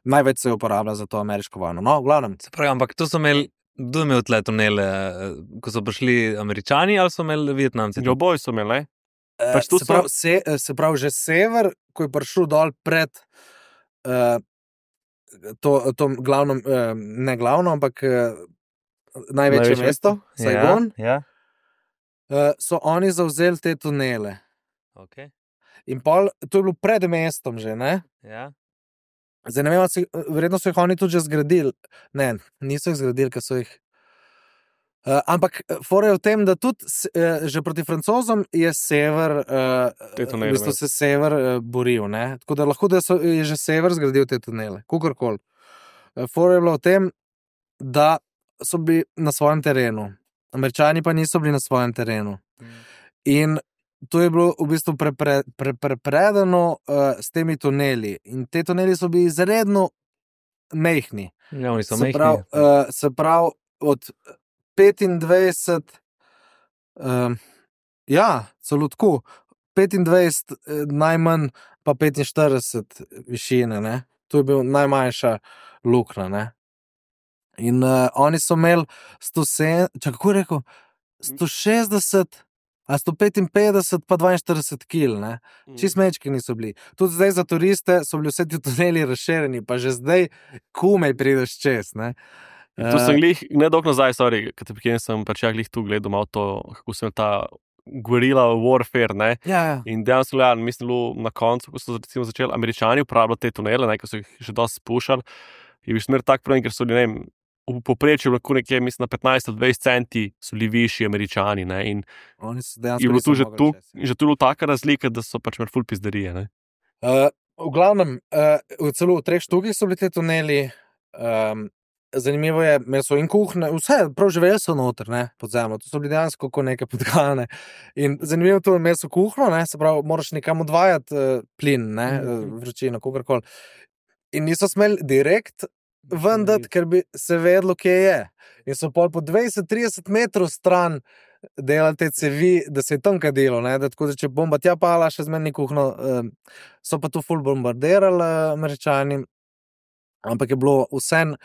S4: Največ se je uporabljalo za to ameriško vojno. No, v glavnem.
S1: Se pravi, ampak to so imeli, kdo je imel tle tunele, eh, ko so prišli Američani ali so imeli Vietnamci?
S2: Jo boji so imeli, ne?
S4: Eh,
S2: Pač tu
S4: se,
S2: so-
S4: pravi, se, eh, se pravi, že sever, ko je prišel dol pred uh, to, to glavno, uh, ne glavno, ampak uh, največje
S2: Največje
S4: mesto, Saigon,
S1: Ja, ja.
S4: uh, so oni zavzeli te tunele.
S1: Okay.
S4: In pol, to je bilo pred mestom že, ne?
S1: Ja.
S4: Zdaj, ne vem, ali so jih- verjetno so jih oni tudi že zgradili. Ne, niso jih zgradili, ker so jih. Uh, ampak fora je v tem, da tudi s- uh, že proti Francozom je sever, uh,
S2: Te
S4: v
S2: tunele
S4: bistvu
S2: imel.
S4: se sever uh, boril. Ne? Tako da lahko da so, je že sever zgradil te tunele, kakorkoli. Uh, fora je bilo v tem, da so bili na svojem terenu, Američani pa niso bili na svojem terenu. In to je bilo v bistvu prepredeno pre, pre, predano, uh, s temi tuneli. In te tuneli so bili izredno mehni.
S1: Ja, oni so
S4: Se
S1: mehki.
S4: pravi, uh, se pravi, od petindvajset, um, ja, celo tako, petindvajset eh, najmanj, pa petinštirideset višine, ne. To je bil najmanjša luknja, ne. In uh, oni so imeli sto sedem, če kako je rekel, sto šestdeset, a sto petinpetdeset, pa dvainštirideset kil, ne. Čist mečki niso bili. Tudi zdaj za turiste so bili vse ti tuneli razširjeni, pa že zdaj komaj prideš čez, ne.
S2: Tu sem glih, ne dolgo nazaj, sorry, ker te prekinem, sem pač ja glih tu gledal malo to, kako sem ta guerilla warfare, ne.
S4: Ja, ja.
S2: In dejansko, ja, mislim, bilo na koncu, ko so recimo začeli Američani uporabljati te tunele, ne, ko so jih še dosti spuščali, je bil smer tak problem, ker so bili, ne vem, v povprečju lahko nekje, mislim, na petnajst do dvajset centi so bili višji Američani, ne, in
S4: Oni so dejansko
S2: je bilo tu
S4: niso
S2: že
S4: mogli
S2: tu,
S4: čez, ja.
S2: že tu bilo taka razlika, da so pač imeli ful pizderije, ne.
S4: Uh, v glavnem, uh, v celo v treh študijih so bili ti tuneli, um, zanimivo je, meso in kuhne, vse, prav živeli so noter, ne, pod zemljo, to so bili dejansko kot neke podgane. In zanimivo to je meso kuhno, ne, se pravi, moraš nekam odvajati uh, plin, ne, uh, vročino, kogarkoli. In niso smeli direkt vendati, ker bi se vedlo, kje je. In so pol po dvajset do trideset metrov stran delali te cevi, da se je tam kaj delo, ne, da tako, da če bomba tja pala, še zmeraj ni kuhno, uh, so pa to ful bombardirali uh, Američani, ampak je bilo vsem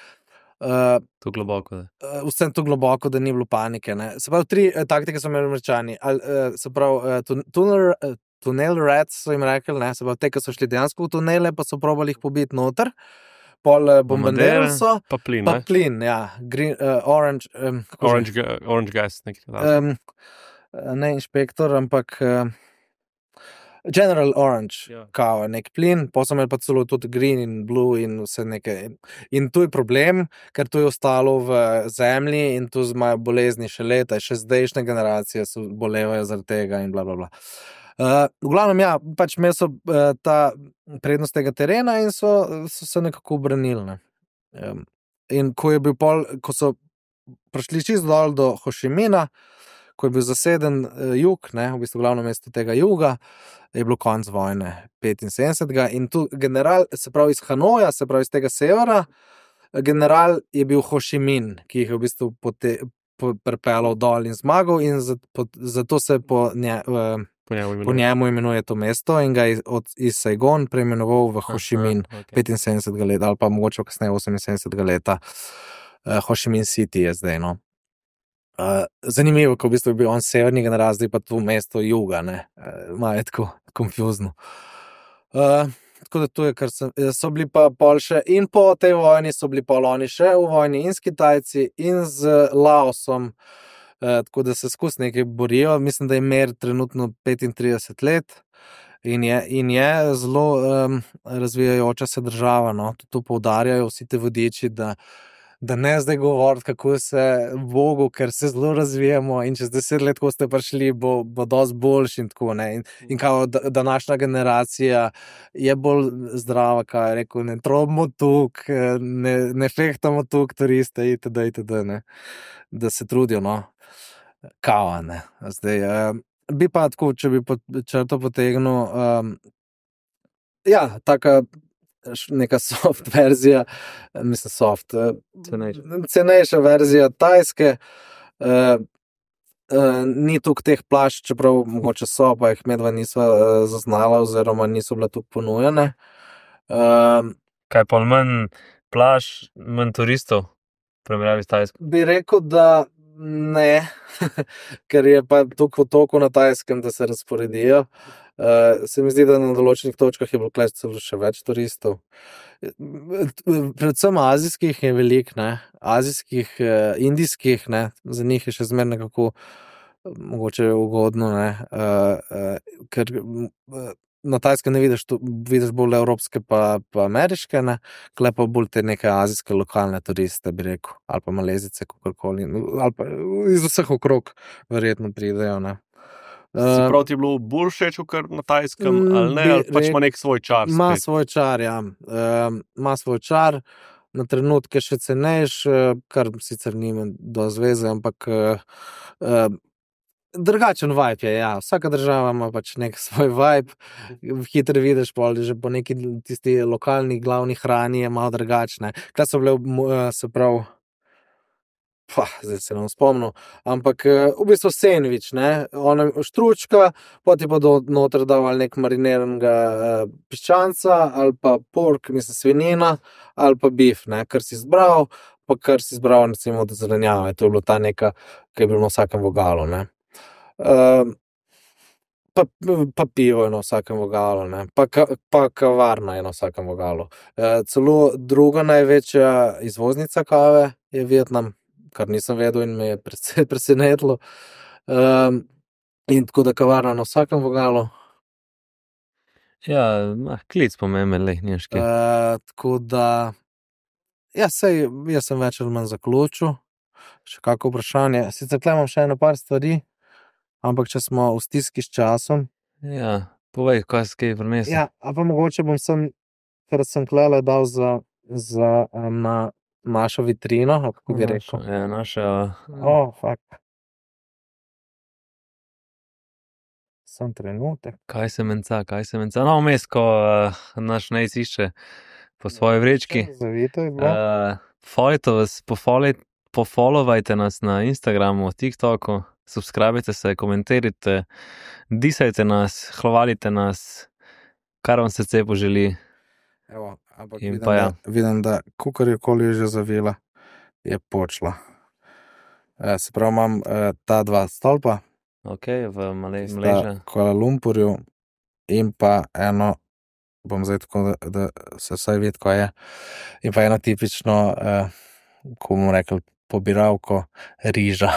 S4: Uh,
S1: To globoko, da.
S4: uh, vsem to globoko, da ni bilo panike. Ne? Se pravi, tri uh, taktike so imeli Američani. Al, uh, se pravi, uh, tun tunel, uh, tunel rats so jim rekli, ne? Se pravi, te, ki so šli dejansko v tunele, pa so probali jih pobiti noter, pol uh, bombardirali so,
S2: Pa plin,
S4: pa
S2: ne?
S4: plin, ja, green, uh, orange, um, kako že?
S2: Orange, ga- orange gas, nekaj takega.
S4: um, ne inšpektor, ampak uh, General Orange,
S1: Ja.
S4: kao, nek plin, pa so imeli pa celo tudi green in blue in vse nekaj. In tu je problem, ker to je ostalo v zemlji in tu imajo bolezni še leta, še zdajšnje generacije so bolevajo zaradi tega in bla, bla, bla. Uh, v glavnem, ja, pač imeli so uh, ta prednost tega terena in so, so se nekako obranili. Ne. Um, in ko je bil pol, ko so prišli čisto dol do Hošimina, ko je bil zaseden uh, jug, ne, v bistvu glavno mesto tega juga, je bilo konc vojne petinsedemdesetega in tu general, se pravi iz Hanoja, se pravi iz tega severa, general je bil Hošimin, ki jih je v bistvu pote, po, prepelal dol in zmagal in zato, po, zato se po, nje, uh,
S2: Po njemu
S4: po
S2: imenuje.
S4: njemu imenuje to mesto in ga je od, iz Saigon preimenoval v Hošimin
S1: Aha, okej.
S4: petinsedemdesetega leta ali pa mogoče kasneje oseminsedemdesetega leta. Uh, Hošimin City je zdaj, no. Uh, zanimivo, ko v bistvu je bil on severni general, zdaj pa to mesto juga, ne, uh, malo je tako konfuzno. Uh, tako da to je, kar sem, so bili pa pol še in po tej vojni so bili pol oni še v vojni in s Kitajci in z Laosom, uh, tako da se skozi nekaj borijo, mislim, da je mer trenutno petintrideset let in je, in je zelo um, razvijajoča se država, no, to poudarjajo vsi te vodiči, da da ne zdaj govoriti, kako se Bogu, ker se zelo razvijamo in čez deset let, ko ste prišli, bo, bo dosti boljši in tako, ne. In, in kao da, današnja generacija je bolj zdrava, kao je rekel, ne trobimo tuk, ne, ne fehtamo tuk turiste, itd., itd., ne. Da se trudijo, no. Kao, ne. Zdaj, um, bi pa tako, če bi pot, črto potegnil, um, ja, taka neka soft verzija, mislim soft,
S1: Cenejša.
S4: cenejša verzija Tajske, uh, uh, ni tukaj teh plašč, čeprav mogoče so, pa jih medva nisva uh, zaznala oziroma niso bila tukaj ponujene. Uh,
S1: Kaj pa manj plaž, manj turistov, v primerjavi s Tajsko?
S4: bi rekel, da ne, ker je pa toliko otokov na Tajskem, da se razporedijo. Uh, se mi zdi, da na določenih točkah je bilo kles celo še več turistov. Predvsem azijskih je veliko, ne, azijskih, uh, indijskih, ne, za njih je še zmeraj nekako mogoče ugodno, ne, uh, uh, ker uh, na Tajskem ne vidiš, tu, vidiš bolj evropske pa, pa ameriške, ne, kle pa bolj te neke azijske lokalne turiste, bi rekel, ali pa malezice, kakorkoli, ali pa iz vseh okrog verjetno pridejo, ne.
S2: Se pravi, ti je bilo bolj všeč, kot na Tajskem, ali ne,
S4: bi
S2: ali pač ima
S4: rekel-
S2: nek svoj čar
S4: Ima
S2: spet?
S4: svoj čar, ja. Um, ima svoj čar, na trenutke še cenejš, uh, kar sicer nima do zveze, ampak uh, uh, drugačen vibe je, ja. Vsaka država ima pač nek svoj vibe, hitro vidiš, pol, že po neki tisti lokalni glavni hrani je malo drugačne. Kaj so bile, uh, se pravi, pa, zdaj se ne bom spomnil, ampak uh, v bistvu sendvič, ne, ona štručka, potem pa do noter dal ali nek mariniranega uh, piščanca, ali pa pork, mislim svinjina, ali pa beef, ne, kar si izbral, pa kar si izbral, recimo, od zelenjave, to je bilo ta neka, ki je bilo na vsakem vogalu, ne. Uh, pa, pa pivo je na vsakem vogalu, ne, pa, ka, pa kavarna je na vsakem vogalu. Uh, celo druga največja izvoznica kave je Vietnam, kar nisem vedel in me je precej presenetilo. Um, in tako da kavarna na vsakem vogalu.
S1: Ja, ah, klic pomemben, lej, nimaš kaj.
S4: Uh, tako da, ja, sej, jaz sem več ali manj zaključil. Še kako vprašanje. Sicer tle imam še eno par stvari, ampak če smo v stiski s časom.
S1: Ja, povej, kaj se kaj prinesel.
S4: Ja, a pa mogoče bom sem, ker sem klele dal za, za um, na našo vitrino, ali kako bi rekel.
S1: Naša, ja, naša,
S4: Oh, fuck. Sam trenutek.
S1: kaj se menca, kaj se menca. No, vmes, ko uh, naš nejc išče po svoji vrečki.
S4: Zavito je bilo.
S1: Uh, Folite vas, pofolite, pofollowajte nas na Instagramu, TikToku, subskrbite se, komentirajte, disajte nas, hvalite nas, kar vam srce poželi.
S4: Evo, ampak
S1: In
S4: vidim,
S1: pa ja.
S4: da, vidim, da kukarjokoli je že zavila, je počla. E, se pravi, imam e, ta dva stolpa,
S1: Ok, v Male
S4: sta
S1: Maleža.
S4: Kuala Lumpurju in pa eno, bom zdaj tako, da, da se vsaj vidi, ko je, in pa eno tipično, e, ko bomo rekli, pobiralko riža.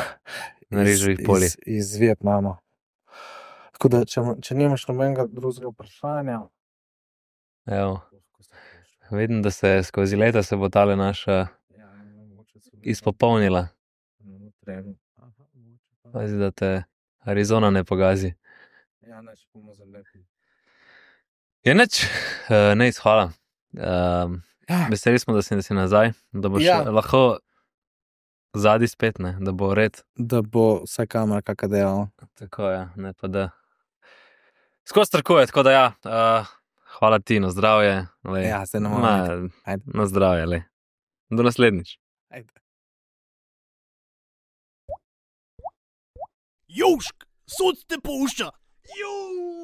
S1: Na riževih poljih.
S4: Iz, iz Vietnama. Tako da, če, če nimaš nobenega drugega vprašanja,
S1: Evo, vidim, da se skozi leta se bo tale naša izpopolnila. Pazi, da te Arizona ne pogazi.
S4: Ja, neč bomo zalepili.
S1: Je nič, uh, nejc, hvala. Um,
S4: Ja.
S1: veseli smo, da si, da si nazaj, da boš
S4: Ja.
S1: ja. lahko zadnji spet, ne, da bo red.
S4: Da bo vse kamera kaka delala.
S1: Tako je, ne pa da. Skozi trkuje, tako da ja, uh, hvala ti, na zdravje. Le,
S4: Ja, zdaj ne
S1: Ma,
S4: moramo. Ajde.
S1: na zdravje, le. Do naslednjič.
S4: Ajde.
S3: Južk, sod te pušča. Juuu.